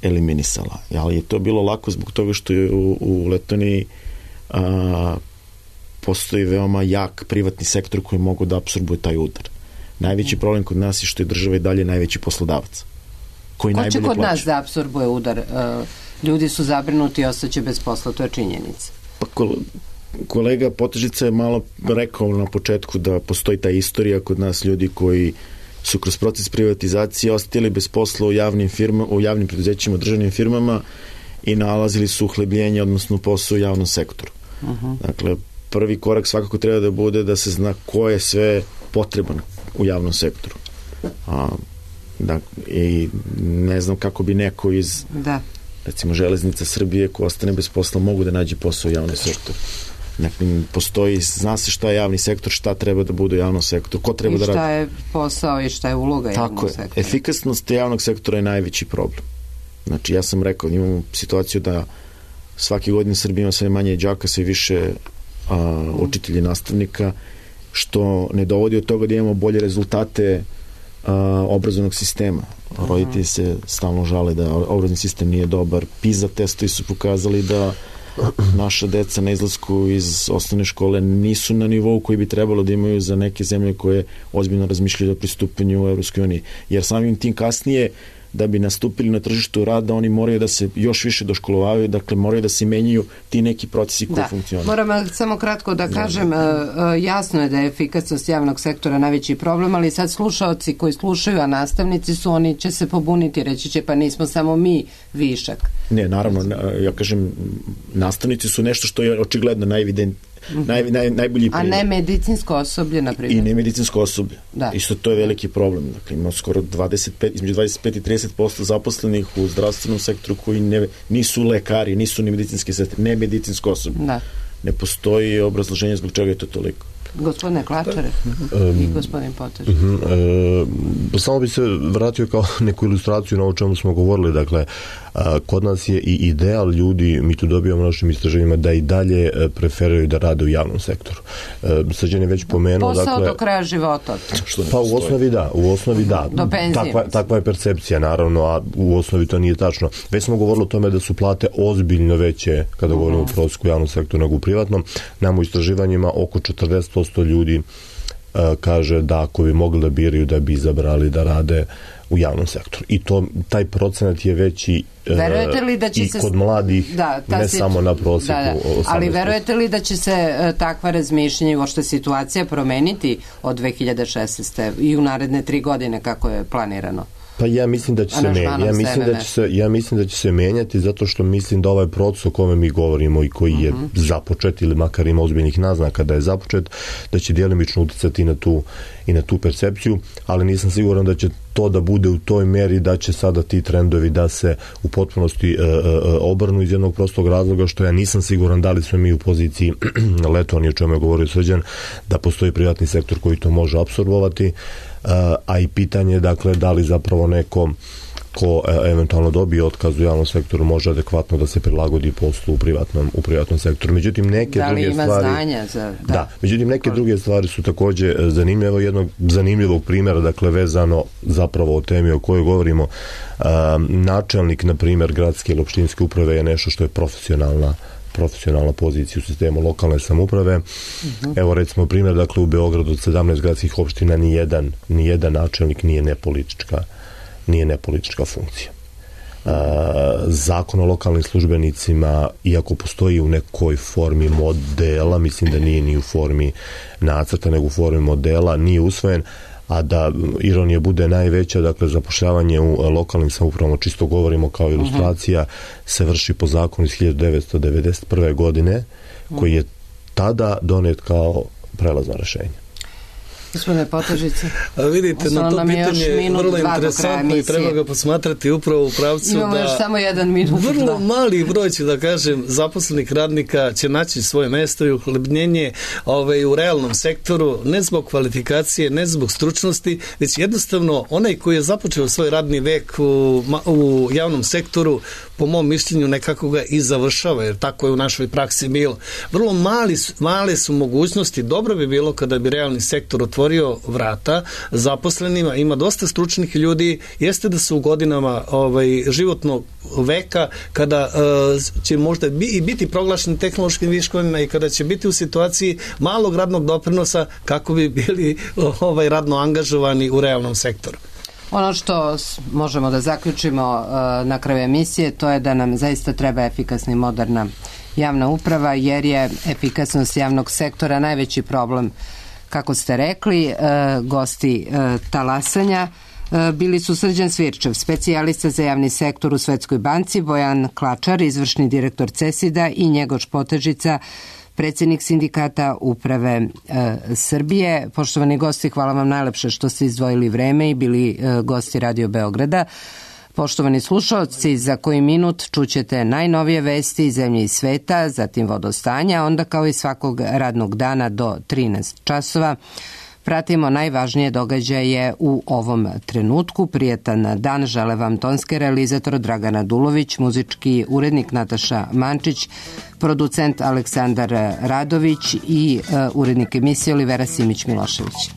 eliminisala. Ali je to bilo lako zbog toga što je u, u Letoniji a, postoji veoma jak privatni sektor koji mogu da apsorbuje taj udar. Najveći problem kod nas je što je država i dalje najveći poslodavac. Koji Ko će kod plaća. nas da apsorbuje udar? Uh, ljudi su zabrinuti i ostaće bez posla, to je činjenica. Pa kolega Potežica je malo rekao na početku da postoji ta istorija kod nas ljudi koji su kroz proces privatizacije ostali bez posla u javnim firmama, u javnim preduzećima, državnim firmama i nalazili su uhlebljenje, odnosno posao u javnom sektoru. Uh-huh. Dakle, prvi korak svakako treba da bude da se zna ko je sve potreban u javnom sektoru. A, da, i ne znam kako bi neko iz da. recimo Železnica Srbije ko ostane bez posla mogu da nađe posao u javnom sektoru. Dakle, postoji, zna se šta je javni sektor, šta treba da bude u javnom sektoru, ko treba I da radi. I šta je posao i šta je uloga Tako javnog je. sektora. Efikasnost javnog sektora je najveći problem. Znači, ja sam rekao, imamo situaciju da svake godine Srbija ima sve manje đaka, sve više a, učitelji, nastavnika, što ne dovodi od toga da imamo bolje rezultate a, obrazovnog sistema. Roditelji se stalno žale da obrazovni sistem nije dobar. PISA testovi su pokazali da naša deca na izlasku iz osnovne škole nisu na nivou koji bi trebalo da imaju za neke zemlje koje ozbiljno razmišljaju o pristupanju u Evropskoj uniji. Jer samim tim kasnije da bi nastupili na tržištu rada, oni moraju da se još više doškolovaju, dakle moraju da se menjaju ti neki procesi koji da. funkcionišu. Moram samo kratko da kažem, da. jasno je da je efikasnost javnog sektora najveći problem, ali sad slušaoci koji slušaju, a nastavnici su, oni će se pobuniti, reći će pa nismo samo mi višak. Ne, naravno, ja kažem, nastavnici su nešto što je očigledno najevident, naj, naj, najbolji primjer. A ne medicinsko osoblje, na primjer. I ne medicinsko osoblje. Da. Isto to je veliki problem. Dakle, ima skoro dvadeset pet, između dvadeset pet i trideset posto zaposlenih u zdravstvenom sektoru koji ne, nisu lekari, nisu ni medicinski sestre, ne medicinsko osoblje. Da. Ne postoji obrazloženje zbog čega je to toliko. Gospodine Klačare um, i gospodin Potež. Um, uh, samo bi se vratio kao neku ilustraciju na ovo čemu smo govorili. Dakle, uh, kod nas je i ideal ljudi, mi tu dobijamo našim istraživanjima, da i dalje uh, preferiraju da rade u javnom sektoru. Uh, Srđan je već pomenuo... Posao dakle, do kraja života. Pa u osnovi da, u osnovi da. Do penzije. Takva, takva je percepcija, naravno, a u osnovi to nije tačno. Već smo govorili o tome da su plate ozbiljno veće kada uh-huh. govorimo o prosjeku u javnom sektoru nego u privatnom. Nam u istraživanjima oko četrdeset posto ljudi uh, kaže da ako bi mogli da biraju da bi izabrali da rade u javnom sektoru. I to, taj procenat je veći verujete li da će i se, kod mladih, da, ne si, samo na prosjeku. Da, da. Ali verujete li da će se uh, takva razmišljanja i uopšte situacija promeniti od dve hiljade šesnaeste. i u naredne tri godine kako je planirano? Pa ja mislim da će se menjati. Ja mislim da će se, ja mislim da će se menjati zato što mislim da ovaj proces o kome mi govorimo i koji je uh-huh. započet ili makar ima ozbiljnih naznaka da je započet, da će djelimično uticati na tu i na tu percepciju, ali nisam siguran da će to da bude u toj meri da će sada ti trendovi da se u potpunosti e, e, obrnu iz jednog prostog razloga što ja nisam siguran da li smo mi u poziciji letovanja, o čemu je govorio Srđan, da postoji privatni sektor koji to može apsorbovati, a i pitanje je dakle da li zapravo neko ko eventualno dobije otkaz u javnom sektoru može adekvatno da se prilagodi poslu u privatnom, u privatnom sektoru. Međutim, neke da li druge ima stvari... znanja za... Da. da, međutim, neke druge stvari su takođe zanimljive. Evo jednog zanimljivog primjera, dakle, vezano zapravo o temi o kojoj govorimo. Um, načelnik, na primjer, gradske ili opštinske uprave je nešto što je profesionalna profesionalna pozicija u sistemu lokalne samouprave. Uh-huh. Evo recimo primjer, dakle u Beogradu od sedamnaest gradskih opština ni jedan, ni jedan načelnik nije nepolitička, nije nepolitička funkcija. Uh, zakon o lokalnim službenicima, iako postoji u nekoj formi modela, mislim da nije ni u formi nacrta, nego u formi modela, nije usvojen, a da ironija bude najveća, dakle zapošljavanje u lokalnim samoupravama, čisto govorimo kao ilustracija, uh-huh. se vrši po zakonu iz hiljadu devetsto devedeset prve. godine, koji je tada donet kao prelazno rešenje. Gospodine Potežice, vidite, na to pitanje je vrlo interesantno i treba ga posmatrati upravo u pravcu imamo da... Imamo još samo jedan minut. Vrlo da. mali broj, ću da kažem, zaposlenih radnika će naći svoje mesto i uhlebnjenje ovaj, u realnom sektoru, ne zbog kvalifikacije, ne zbog stručnosti, već jednostavno onaj koji je započeo svoj radni vek u, u javnom sektoru, po mom mišljenju nekako ga i završava, jer tako je u našoj praksi bilo. Vrlo mali, male su mogućnosti, dobro bi bilo kada bi realni sektor otvorio vrata zaposlenima, ima dosta stručnih ljudi, jeste da su u godinama ovaj, životnog veka, kada uh, će možda bi, i biti proglašeni tehnološkim viškovima i kada će biti u situaciji malog radnog doprinosa kako bi bili ovaj, radno angažovani u realnom sektoru. Ono što možemo da zaključimo uh, na kraju emisije, to je da nam zaista treba efikasna i moderna javna uprava, jer je efikasnost javnog sektora najveći problem, kako ste rekli. Uh, gosti uh, talasanja uh, bili su Srđan Svirčev, specijalista za javni sektor u Svetskoj banci, Bojan Klačar, izvršni direktor CESID-a i Njegoš Potežica, predsjednik sindikata uprave e, Srbije. Poštovani gosti, hvala vam najlepše što ste izdvojili vreme i bili e, gosti Radio Beograda. Poštovani slušaoci, za koji minut čućete najnovije vesti iz zemlje i sveta, zatim vodostanja, onda kao i svakog radnog dana do trinaest časova pratimo najvažnije događaje u ovom trenutku. Prijetan dan žele vam tonski realizator Dragana Dulović, muzički urednik Nataša Mančić, producent Aleksandar Radović i uh, urednik emisije Olivera Simić-Milošević.